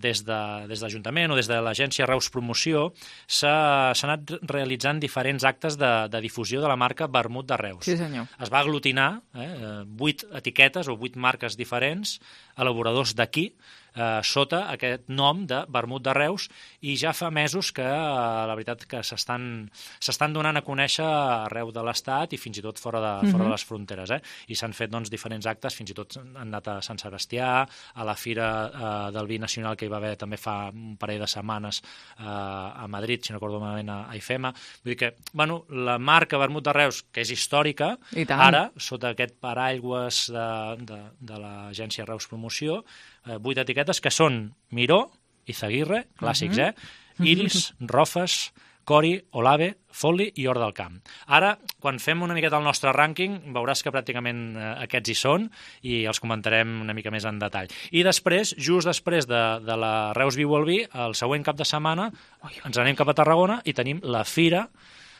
des de l'Ajuntament o des de l'agència Reus Promoció, s'han anat realitzant diferents actes de difusió de la marca Vermut de Reus. Sí, senyor. Es va aglutinar 8 etiquetes o 8 marques diferents, elaboradors d'aquí, sota aquest nom de Vermut de Reus, i ja fa mesos que la veritat que s'estan donant a conèixer arreu de l'Estat i fins i tot fora de les fronteres. I s'han fet diferents actes, fins i tot han anat a Sant Sebastià, a la Fira del Vi Nacional que hi va haver també fa un parell de setmanes a Madrid, si no recordo malament a IFEMA. Vull dir que, la marca Vermut de Reus, que és històrica, ara, sota aquest paraigües de l'agència Reus Promoció, 8 etiquetes que són Miró, Izaguirre, clàssics, Iris, Rofes, Cori, Olave, Folli i Hort del Camp. Ara, quan fem una miqueta el nostre rànquing, veuràs que pràcticament aquests hi són i els comentarem una mica més en detall. I després, just després de la Reus Viu al Vi, el següent cap de setmana ens anem cap a Tarragona i tenim la Fira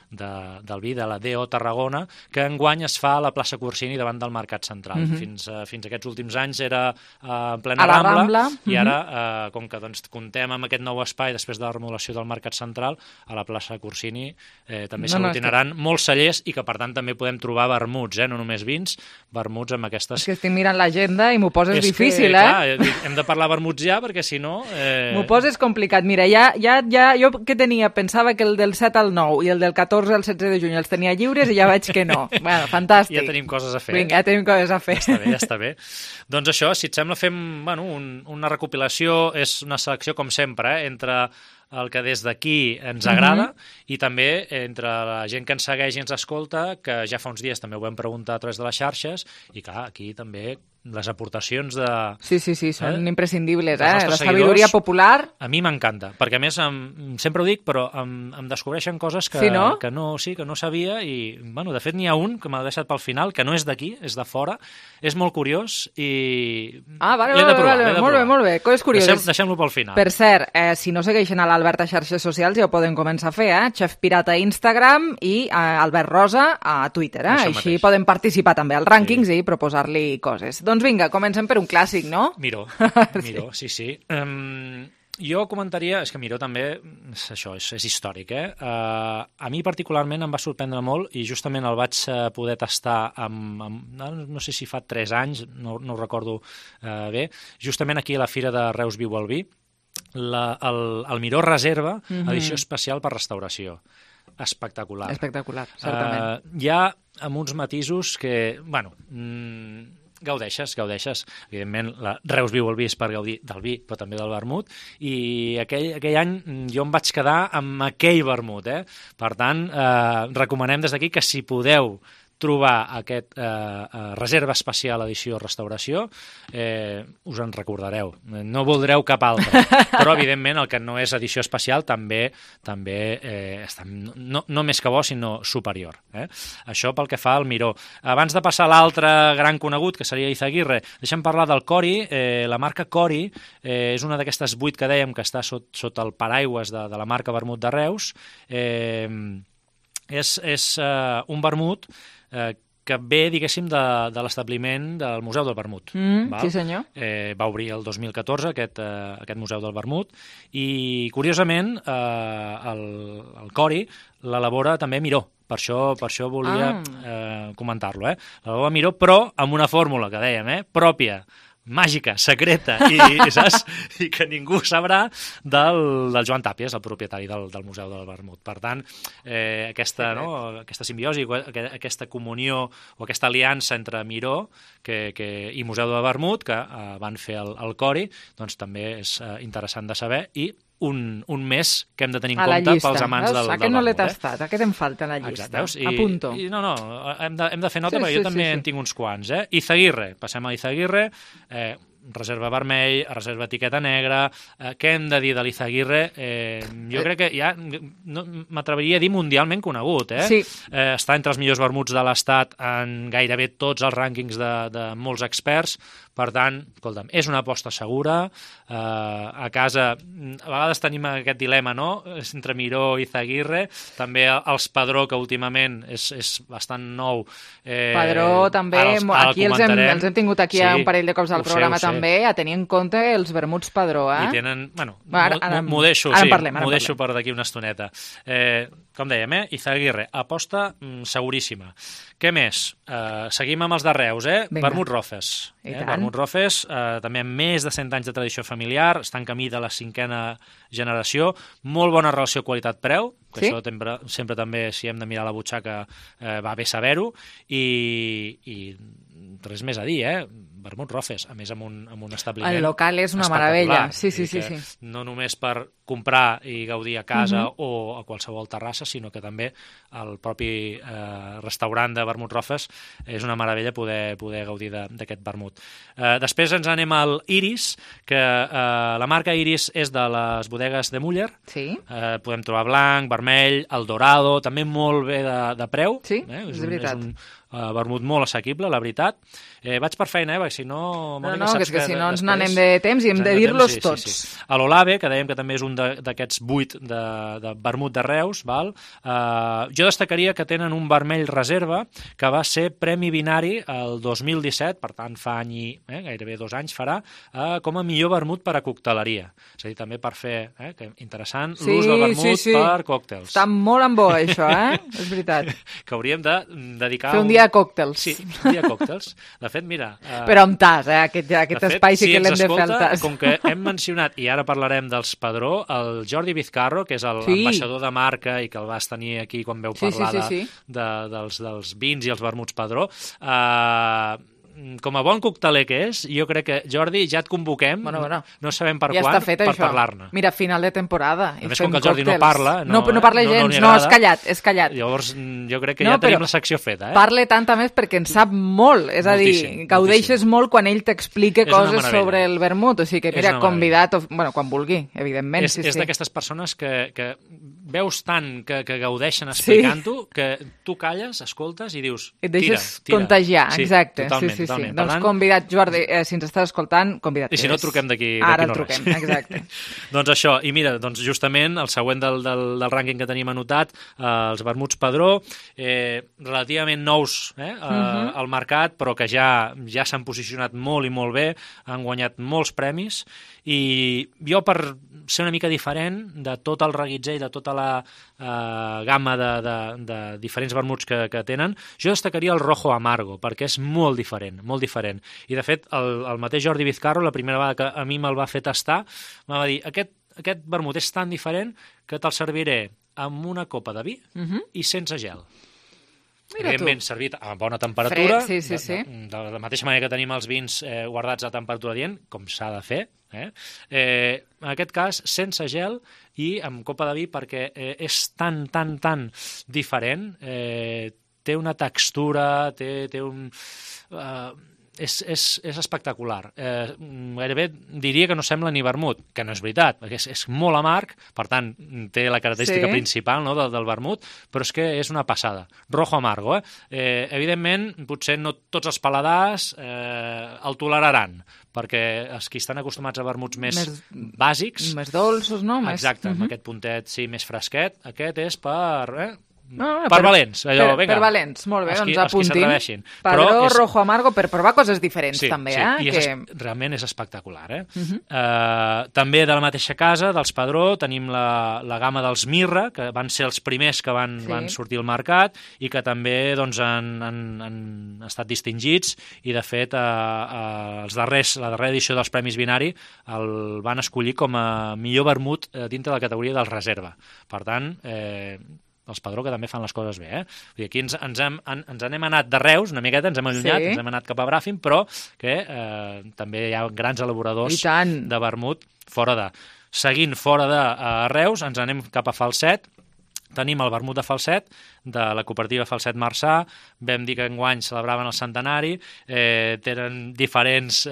del vi de la DO Tarragona, que enguany es fa a la plaça Corsini davant del Mercat Central. Fins aquests últims anys era en plena Rambla, i ara, com que comptem amb aquest nou espai després de la remodelació del Mercat Central, a la plaça Corsini també s'aglutinaran molts cellers i que per tant també podem trobar vermuts, no només vins, vermuts amb aquestes... És que estic mirant l'agenda i m'ho poses difícil, clar, hem de parlar vermuts ja, perquè si no... M'ho poses complicat. Mira, jo que tenia, pensava que el del 7 al 9 i el del 14 al 16 de juny els tenia lliures i ja veig que no. Bueno, fantàstic. Ja tenim coses a fer. Vinga, ja tenim coses a fer. Ja està bé. Doncs això, si et sembla, fem una recopilació, és una selecció, com sempre, entre el que des d'aquí ens agrada i també entre la gent que ens segueix i ens escolta, que ja fa uns dies també ho vam preguntar a través de les xarxes, i clar, aquí també les aportacions de... Sí, són imprescindibles, la sabidoria popular. A mi m'encanta, perquè a més, sempre ho dic, però em descobreixen coses que no sabia i, de fet, n'hi ha un que m'ha deixat pel final, que no és d'aquí, és de fora, és molt curiós i... L'he de provar. Molt bé, coses curioses. Deixem-lo pel final. Per cert, si no segueixen a l'Albert a xarxes socials ja ho poden començar a fer, Chef Pirata a Instagram i Albert Rosa a Twitter, Així poden participar també als rànquings i proposar-li coses. Doncs vinga, comencem per un clàssic, no? Miró, sí. Jo comentaria, és que Miró també, és històric, a mi particularment em va sorprendre molt i justament el vaig poder tastar no sé si fa 3 anys, no ho recordo bé, justament aquí a la Fira de Reus Viu el Vi, el Miró Reserva, edició especial per restauració. Espectacular. Espectacular, certament. Hi ha amb uns matisos que, bueno, gaudeixes. Evidentment, la Reus Viu el Vi és per gaudir del vi, però també del vermut, i aquell any jo em vaig quedar amb aquell vermut. Per tant, recomanem des d'aquí que si podeu trobar aquest reserva especial edició restauració, us en recordareu. No voldreu cap altre. Però, evidentment, el que no és edició especial també està no més que bo, sinó superior. Això pel que fa al Miró. Abans de passar a l'altre gran conegut, que seria Izaguirre, deixem parlar del Cori. La marca Cori és una d'aquestes 8 que dèiem que està sota el paraigües de la marca Vermut de Reus. És un vermut que ve, diguéssim, de l'establiment del Museu del Vermut. Sí, senyor. Va obrir el 2014 aquest Museu del Vermut i, curiosament, el Cori l'elabora també Miró. Per això volia comentar-lo. L'elabora Miró, però amb una fórmula que dèiem, pròpia, màgica, secreta, i que ningú sabrà del Joan Tàpies, el propietari del Museu del Vermut. Per tant, aquesta simbiosi, aquesta comunió o aquesta aliança entre Miró i Museu del Vermut, que van fer el Cori, doncs també és interessant de saber, i un mes que hem de tenir en compte pels amants del vermut. Aquest no l'he tastat, aquest em falta a la llista. Apunto. No, hem de fer nota, perquè jo també en tinc uns quants. Izaguirre, passem a Izaguirre, reserva vermell, reserva etiqueta negra. Què hem de dir de l'Izaguirre? Jo crec que ja m'atreviria a dir mundialment conegut. Està entre els millors vermuts de l'Estat en gairebé tots els rànquings de molts experts. Per tant, escolta'm, és una aposta segura. A casa, a vegades tenim aquest dilema, no?, entre Miró i Izaguirre. També els Padró, que últimament és bastant nou. Padró també, aquí els hem tingut aquí un parell de cops al programa també, a tenir en compte els vermuts Padró. I tenen, bueno, m'ho deixo per d'aquí una estoneta. Com dèiem, Izaguirre, aposta seguríssima. Què més? Seguim amb els de Reus, Vermut Rofes. Vermut Rofes, també amb més de 100 anys de tradició familiar, està en camí de la 5a generació, molt bona relació qualitat-preu, que això sempre també, si hem de mirar la butxaca, va bé saber-ho, i res més a dir, Vermut Rofes, a més amb un establiment el local és una meravella, sí. No només per comprar i gaudir a casa o a qualsevol terrassa, sinó que també el propi restaurant de Vermut Rofes és una meravella poder gaudir d'aquest vermut. Després ens anem al Iris, que la marca Iris és de les bodegues de Muller. Podem trobar blanc, vermell, el dorado, també molt bé de preu. Sí, és veritat. És un vermut molt assequible, la veritat. Vaig per feina, perquè si no... No, que és que si no ens n'anem de temps i hem de dir-los tots. A l'Olave, que dèiem que també és un d'aquests 8 de vermut de Reus, jo destacaria que tenen un vermell reserva que va ser Premi Binari el 2017, per tant fa any i gairebé 2 anys farà, com a millor vermut per a cocteleria. És a dir, també per fer, interessant, l'ús del vermut per còctels. Està molt en bo, això, és veritat. Que hauríem de dedicar... Fer un dia a còctels. Sí, un dia a còctels. De fet, mira... Però amb tas, aquest espai sí que l'hem de fer al tas. Com que hem mencionat, i ara parlarem dels Padró, el Jordi Vizcarro, que és l'ambaixador de marca i que el vas tenir aquí quan veu parlar dels vins i els vermuts Padró, com a bon cocteler que és, jo crec que, Jordi, ja et convoquem, no sabem per quan, per parlar-ne. Mira, final de temporada. A més, com que el Jordi no parla... No parla gens, no, és callat. Llavors, jo crec que ja tenim la secció feta. Parle tant a més perquè en sap molt, és a dir, gaudeixes molt quan ell t'explica coses sobre el vermut, o sigui que, mira, convidat, quan vulgui, evidentment. És d'aquestes persones que veus tant que gaudeixen explicant-ho, que tu calles, escoltes i dius, tira. Et deixes contagiar, exacte. Totalment. Doncs convidat, Jordi, si ens estàs escoltant, convidat. I si no, truquem d'aquí Ara no el truquem, exacte. Doncs això, i mira, justament el següent del rànquing que tenim anotat, els vermuts Padró, relativament nous al mercat, però que ja s'han posicionat molt i molt bé, han guanyat molts premis, i jo per ser una mica diferent de tot el reguitzell, de tota la gamma de diferents vermuts que tenen. Jo destacaria el Rojo Amargo, perquè és molt diferent, molt diferent. I, de fet, el mateix Jordi Vizcarro, la primera vegada que a mi me'l va fer tastar, me va dir, aquest vermut és tan diferent que te'l serviré amb una copa de vi i sense gel. Evidentment, servit a bona temperatura, de la mateixa manera que tenim els vins guardats a temperatura adient, com s'ha de fer, en aquest cas sense gel i amb copa de vi, perquè és tan diferent, té una textura, té un... És espectacular. Gairebé diria que no sembla ni vermut, que no és veritat, perquè és molt amarg, per tant, té la característica principal del vermut, però és que és una passada. Rojo Amargo, evidentment, potser no tots els paladars el toleraran, perquè els que estan acostumats a vermuts més bàsics... Més dolços, no? Exacte, amb aquest puntet, sí, més fresquet. Aquest és per valents, allò, vinga. Per valents, molt bé, doncs apuntim. Els que s'atreveixin. Padró, Rojo Amargo, per provar coses diferents, també, i realment és espectacular, També de la mateixa casa, dels Padró, tenim la gamma dels Mirra, que van ser els primers que van sortir al mercat i que també han estat distingits i, de fet, la darrera edició dels Premis Vinari el van escollir com a millor vermut dintre de la categoria del reserva. Per tant, els Padró, que també fan les coses bé. Vull dir, aquí ens n'hem anat de Reus, una miqueta, ens hem allunyat, ens hem anat cap a Bràfim, però que també hi ha grans elaboradors de vermut seguint fora de Reus, ens anem cap a Falset. Tenim el vermut de Falset, de la cooperativa Falset Marçà. Vam dir que enguany celebraven el centenari, tenen diferents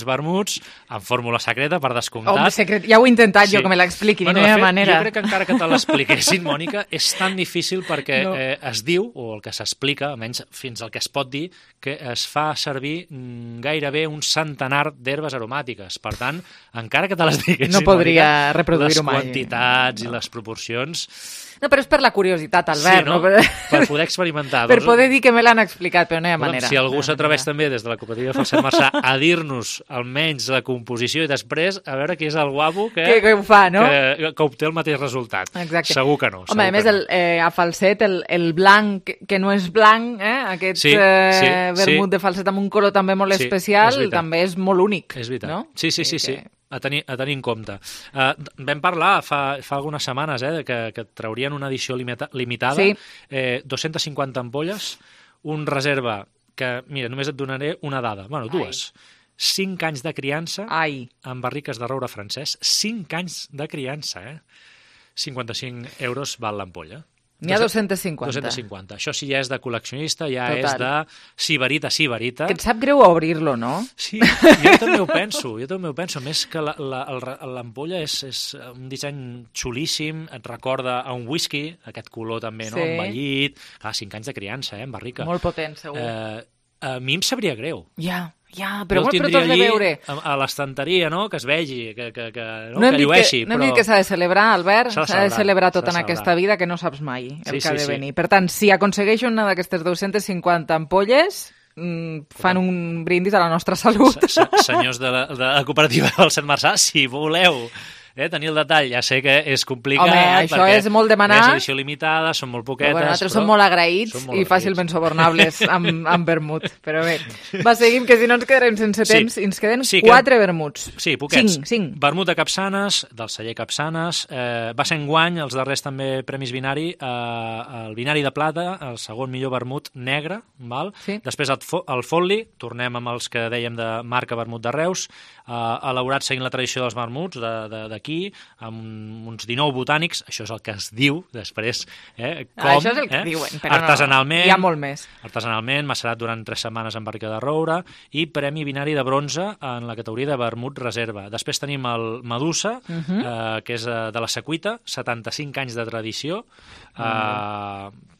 vermuts, en fórmula secreta, per descomptat. Home, secret, ja ho he intentat jo que me l'expliqui, no hi ha manera. Jo crec que encara que te l'expliquessin, Mònica, és tan difícil perquè es diu, o el que s'explica, almenys fins al que es pot dir, que es fa servir gairebé un centenar d'herbes aromàtiques. Per tant, encara que te les diguessin, no podria reproduir-ho mai. Les quantitats i les proporcions... No, però és per la curiositat, Albert. Sí, no? Per poder experimentar. Per poder dir que me l'han explicat, però no hi ha manera. Si algú s'atreveix també des de la cooperativa Falset Marçà a dir-nos almenys la composició i després a veure qui és el guapo que ho fa, no? Que obté el mateix resultat. Exacte. Segur que no. Home, a més, a Falset, el blanc, que no és blanc, aquest vermut de Falset amb un color també molt especial, també és molt únic. És veritat. No? Sí. A tenir en compte. Vam parlar fa algunes setmanes que traurien una edició limitada, 250 ampolles, un reserva que, mira, només et donaré una dada, dues. 5 anys de criança en barriques de roure francès. 5 anys de criança, 55 euros val l'ampolla. N'hi ha 250. 250. Això sí ja és de col·leccionista, és de sibarita. Que et sap greu obrir-lo, no? Sí, jo també ho penso. Més que l'ampolla és un disseny xulíssim, et recorda a un whisky, aquest color també, no? Envellit. 5 anys de criança, en barrica. Molt potent, segur. A mi em sabria greu. Però molt per tot de veure. A l'estanteria, no?, que es vegi, que llueixi. No hem dit que s'ha de celebrar, Albert, s'ha de celebrar tot en aquesta vida, que no saps mai el que ha de venir. Per tant, si aconsegueixo una d'aquestes 250 ampolles, fan un brindis a la nostra salut. Senyors de la cooperativa del Falset Marçà, si voleu tenir el detall, ja sé que és complicat. Home, això és molt demanar. És edició limitada, són molt poquetes. Però nosaltres som molt agraïts i fàcilment subornables amb vermut. Però bé, seguim, que si no ens quedarem sense temps. I ens queden 4 vermuts. Sí, poquets. 5. Vermut de Capçanes, del celler Capçanes. Va ser enguany, els darrers també Premis Vinari, el Vinari de Plata, el segon millor vermut negre. Després el Folli, tornem amb els que dèiem de marca vermut de Reus, elaborat seguint la tradició dels vermuts d'aquí, amb uns 19 botànics, això és el que es diu després, això és el que diuen, però artesanalment, hi ha molt més. Artesanalment, macerat durant 3 setmanes en barrica de roure, i Premi Vinari de bronze en la categoria de vermut reserva. Després tenim el Medusa, que és de la Secuita, 75 anys de tradició,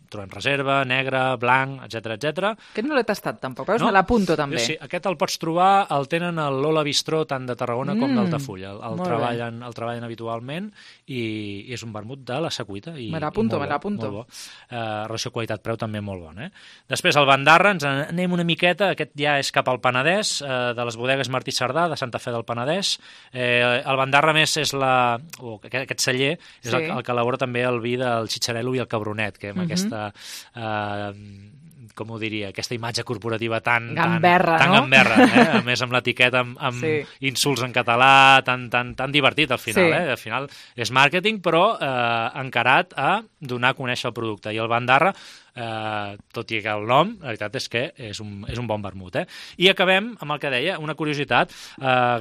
trobem reserva, negre, blanc, etc. Aquest no l'he tastat tampoc, veus? Me l'apunto també. Sí, aquest el pots trobar, el tenen a l'Ola Bistró tant de Tarragona com d'Altafulla. El treballen habitualment i és un vermut de la Secuita. Me l'apunto. Molt bo. Relació qualitat-preu també molt bona. Després el Bandarra, ens anem una miqueta, aquest ja és cap al Penedès, de les bodegues Martí Cerdà, de Santa Fe del Penedès. El Bandarra més és aquest celler, és el que elabora també el vi del Xitxarel·lo i el Cabronet, que amb aquesta, com ho diria, aquesta imatge corporativa tan gamberra, a més amb l'etiqueta amb insults en català, tan divertit al final. Al final és màrqueting, però encarat a donar a conèixer el producte. I el Bandarra, tot i que el nom, la veritat és que és un bon vermut. I acabem amb el que deia, una curiositat,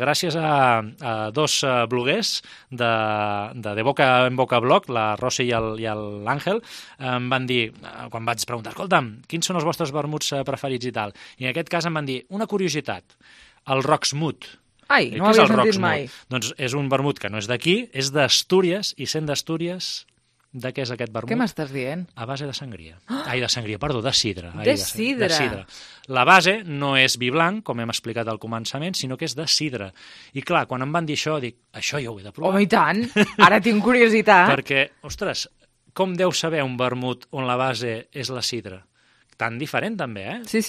gràcies a dos bloguers de Boca en Boca Blog, la Rosy i l'Àngel, em van dir, quan vaig preguntar, escolta'm, quins són els vostres vermuts preferits i tal? I en aquest cas em van dir, una curiositat, el Rocksmut. Ai, no ho havia sentit mai. Doncs és un vermut que no és d'aquí, és d'Astúries, i sent d'Astúries, de què és aquest vermut? Què m'estàs dient? A base de sangria. De sidra. De sidra. La base no és vi blanc, com hem explicat al començament, sinó que és de sidra. I clar, quan em van dir això, dic, això jo ho he de provar. Home, i tant! Ara tinc curiositat. Perquè, ostres, com deu saber un vermut on la base és la sidra? Tan diferent també, Sí.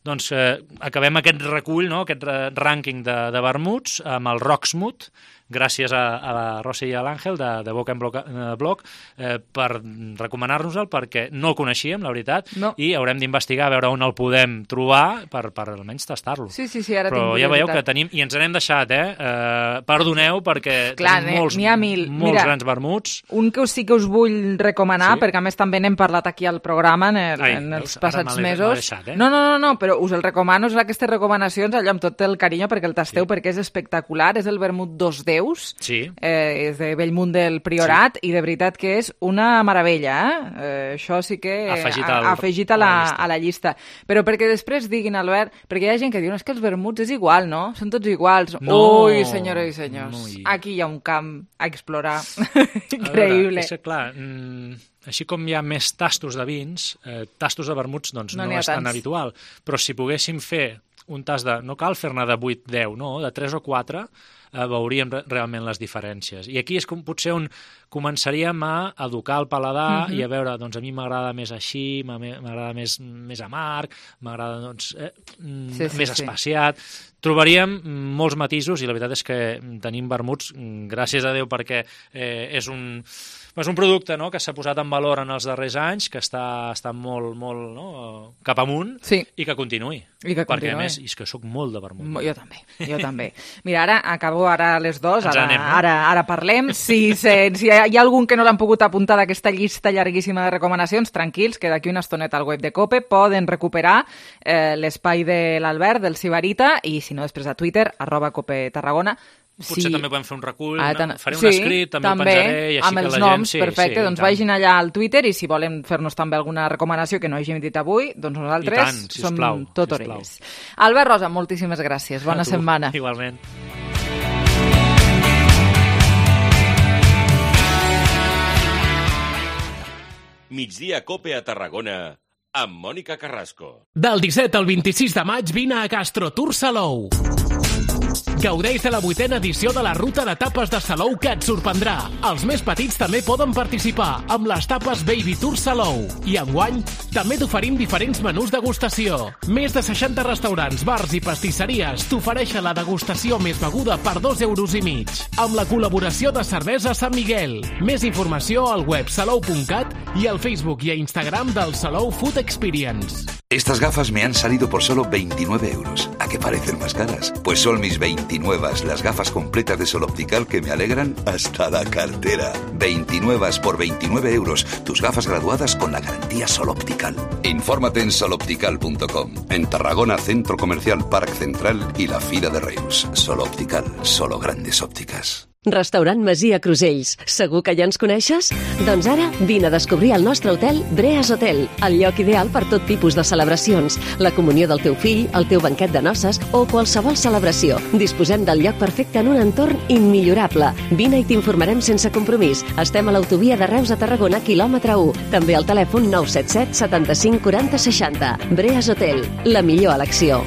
Doncs acabem aquest recull, aquest rànquing de vermuts amb el Rocksmut, gràcies a la Rosy i a l'Àngel de Boca en Blog per recomanar-nos-el, perquè no el coneixíem, la veritat, i haurem d'investigar a veure on el podem trobar per almenys tastar-lo. Sí, ara però ja veieu que tenim, i ens n'hem deixat, perdoneu, perquè tenim molts grans vermuts. Un que sí que us vull recomanar, perquè a més també n'hem parlat aquí al programa en els passats mesos. No, però us el recomano, aquestes recomanacions, allò amb tot el carinyo perquè el tasteu, perquè és espectacular, és el vermut Dos Déus, és de Bellmunt del Priorat, i de veritat que és una meravella. Això sí que afegit a la llista. Però perquè després diguin, Albert, perquè hi ha gent que diu, és que els vermuts és igual, no? Són tots iguals. Ui, senyores i senyors, aquí hi ha un camp a explorar increïble. És que, clar, així com hi ha més tastos de vins, tastos de vermuts no és tan habitual. Però si poguéssim fer un tast no cal fer-ne de 8-10, no, de 3 o 4, veuríem realment les diferències. I aquí és com potser on començaríem a educar el paladar i a veure, doncs a mi m'agrada més així, m'agrada més amarg, m'agrada més espaciat. Trobaríem molts matisos i la veritat és que tenim vermuts, gràcies a Déu, perquè és un producte que s'ha posat en valor en els darrers anys, que està molt cap amunt i que continuï. Perquè a més, és que soc molt de vermut. Jo també. Mira, acabo a les 2, ara parlem. Si hi ha algun que no l'han pogut apuntar d'aquesta llista llarguíssima de recomanacions, tranquils, que d'aquí una estoneta al web de COPE poden recuperar l'espai de l'Albert, del Sibarita, i si no, després a Twitter, @COPETarragona. Potser també podem fer un recull, faré un escrit, també el penjaré, i així amb els noms, perfecte, doncs vagin allà al Twitter, i si volen fer-nos també alguna recomanació que no hàgim dit avui, doncs nosaltres som tot orelles. Albert Rosa, moltíssimes gràcies, bona setmana. Igualment. Migdia Cope a Tarragona amb Mònica Carrasco. Del 17 al 26 de maig vine a Gastrotour Salou. Gaudeix de la 8a edició de la ruta de tapes de Salou, que et sorprendrà. Els més petits també poden participar amb les tapes Baby Tour Salou. I enguany també t'oferim diferents menús degustació. Més de 60 restaurants, bars i pastisseries t'ofereixen la degustació més beguda per 2,5 €, amb la col·laboració de Cervesa Sant Miguel. Més informació al web salou.cat i al Facebook i a Instagram del Salou Food Experience. Estas gafas me han salido por solo 29 €. ¿A qué parecen más caras? Pues son mis 29, las gafas completas de Sol Optical que me alegran hasta la cartera. 29 por 29 €. Tus gafas graduadas con la garantía Sol Optical. Infórmate en soloptical.com. En Tarragona, Centro Comercial Parc Central y la Fira de Reus. Sol Optical, solo grandes ópticas. Restaurant Masia Crusells. Segur que ja ens coneixes? Doncs ara vine a descobrir el nostre hotel Breas Hotel, el lloc ideal per tot tipus de celebracions, la comunió del teu fill, el teu banquet de noces o qualsevol celebració. Disposem del lloc perfecte en un entorn immillorable. Vine i t'informarem sense compromís. Estem a l'autovia de Reus a Tarragona, quilòmetre 1. També al telèfon 977 75 40 60. Breas Hotel, la millor elecció.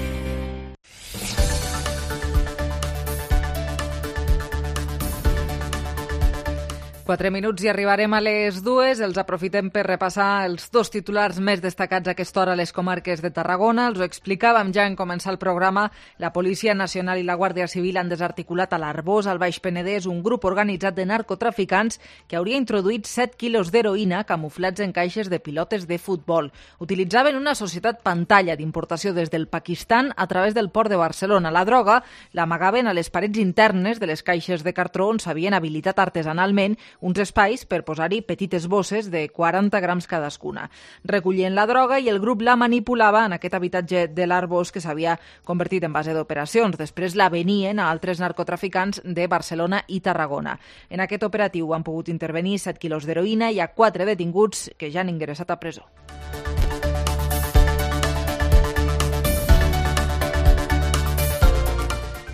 4 minuts i arribarem a les 2. Els aprofitem per repassar els 2 titulars més destacats a aquesta hora a les comarques de Tarragona. Els ho explicàvem ja en començar el programa. La Policia Nacional i la Guàrdia Civil han desarticulat a l'Arboç, al Baix Penedès, un grup organitzat de narcotraficants que hauria introduït 7 quilos d'heroïna camuflats en caixes de pilotes de futbol. Utilitzaven una societat pantalla d'importació des del Pakistan a través del port de Barcelona. La droga l'amagaven a les parets internes de les caixes de cartró on s'havien habilitat artesanalment uns espais per posar-hi petites bosses de 40 grams cadascuna. Recollien la droga i el grup la manipulava en aquest habitatge de l'Arboç que s'havia convertit en base d'operacions. Després la venien a altres narcotraficants de Barcelona i Tarragona. En aquest operatiu han pogut intervenir 7 quilos d'heroïna i hi ha 4 detinguts que ja han ingressat a presó.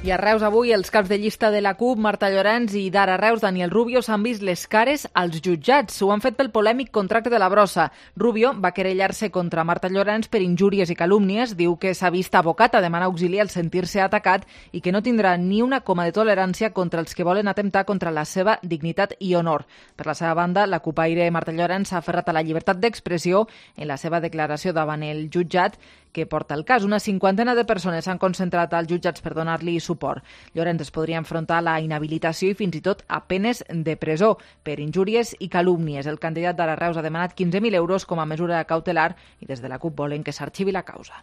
I a Reus avui els caps de llista de la CUP, Marta Llorens i d'Ara Reus, Daniel Rubio, s'han vist les cares als jutjats. Ho han fet pel polèmic contracte de la brossa. Rubio va querellar-se contra Marta Llorens per injúries i calúmnies. Diu que s'ha vist abocat a demanar auxili al sentir-se atacat i que no tindrà ni una coma de tolerància contra els que volen atemptar contra la seva dignitat i honor. Per la seva banda, la cupaire Marta Llorens s'ha aferrat a la llibertat d'expressió en la seva declaració davant el jutjat que porta el cas. Una 50ena de persones s'han concentrat als jutjats per donar-li suport. Llorens es podria enfrontar a la inhabilitació i fins i tot a penes de presó per injúries i calúmnies. El candidat d'Ara Reus ha demanat 15.000 euros com a mesura cautelar i des de la CUP volen que s'arxivi la causa.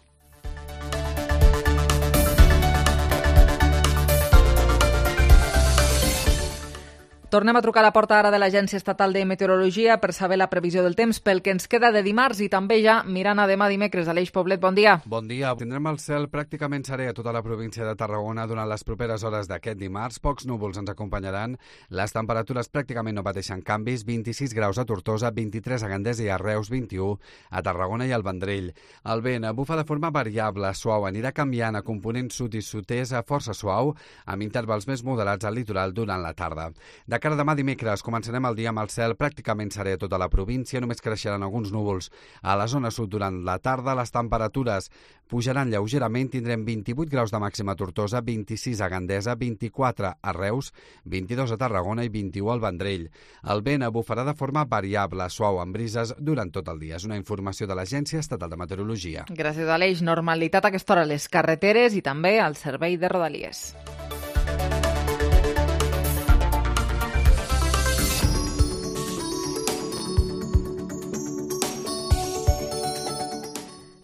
Tornem a trucar a la porta ara de l'Agència Estatal de Meteorologia per saber la previsió del temps pel que ens queda de dimarts i també ja mirant a demà dimecres. Aleix Poblet, bon dia. Bon dia. Tindrem el cel pràcticament serè a tota la província de Tarragona durant les properes hores d'aquest dimarts. Pocs núvols ens acompanyaran. Les temperatures pràcticament no pateixen canvis. 26 graus a Tortosa, 23 a Gandesa i a Reus, 21 a Tarragona i al Vendrell. El vent bufa de forma variable, suau, anirà canviant a component sud i sud-est a força suau, amb intervals més moderats al litoral durant la tarda. De cara a demà dimecres començarem el dia amb el cel pràcticament serè a tota la província, només creixeran alguns núvols. A la zona sud durant la tarda les temperatures pujaran lleugerament, tindrem 28 graus de màxima a Tortosa, 26 a Gandesa, 24 a Reus, 22 a Tarragona i 21 al Vendrell. El vent bufarà de forma variable, suau, amb brises durant tot el dia. És una informació de l'Agència Estatal de Meteorologia. Gràcies, Aleix. Normalitat a aquesta hora a les carreteres i també al servei de Rodalies.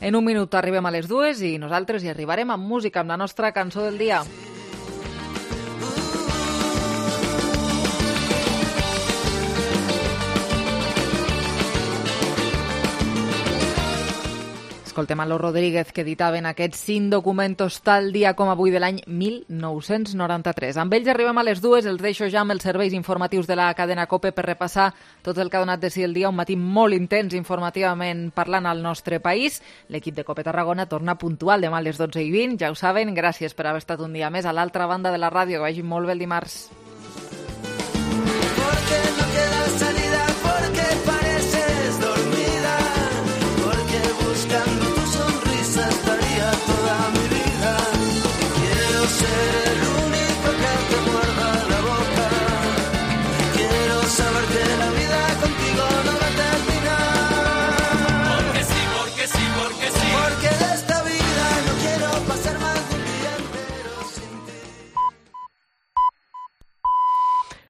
En un minut arribem a les 2 i nosaltres hi arribarem amb música, amb la nostra cançó del dia. Escoltem a Los Rodríguez, que editaven aquests 5 documentos tal dia com avui de l'any 1993. Amb ells arribem a les 2, els deixo ja amb els serveis informatius de la cadena COPE per repassar tot el que ha donat de si el dia, un matí molt intens informativament parlant al nostre país. L'equip de COPE Tarragona torna puntual demà a les 12:20, ja ho saben. Gràcies per haver estat un dia més a l'altra banda de la ràdio, que vagi molt bé el dimarts.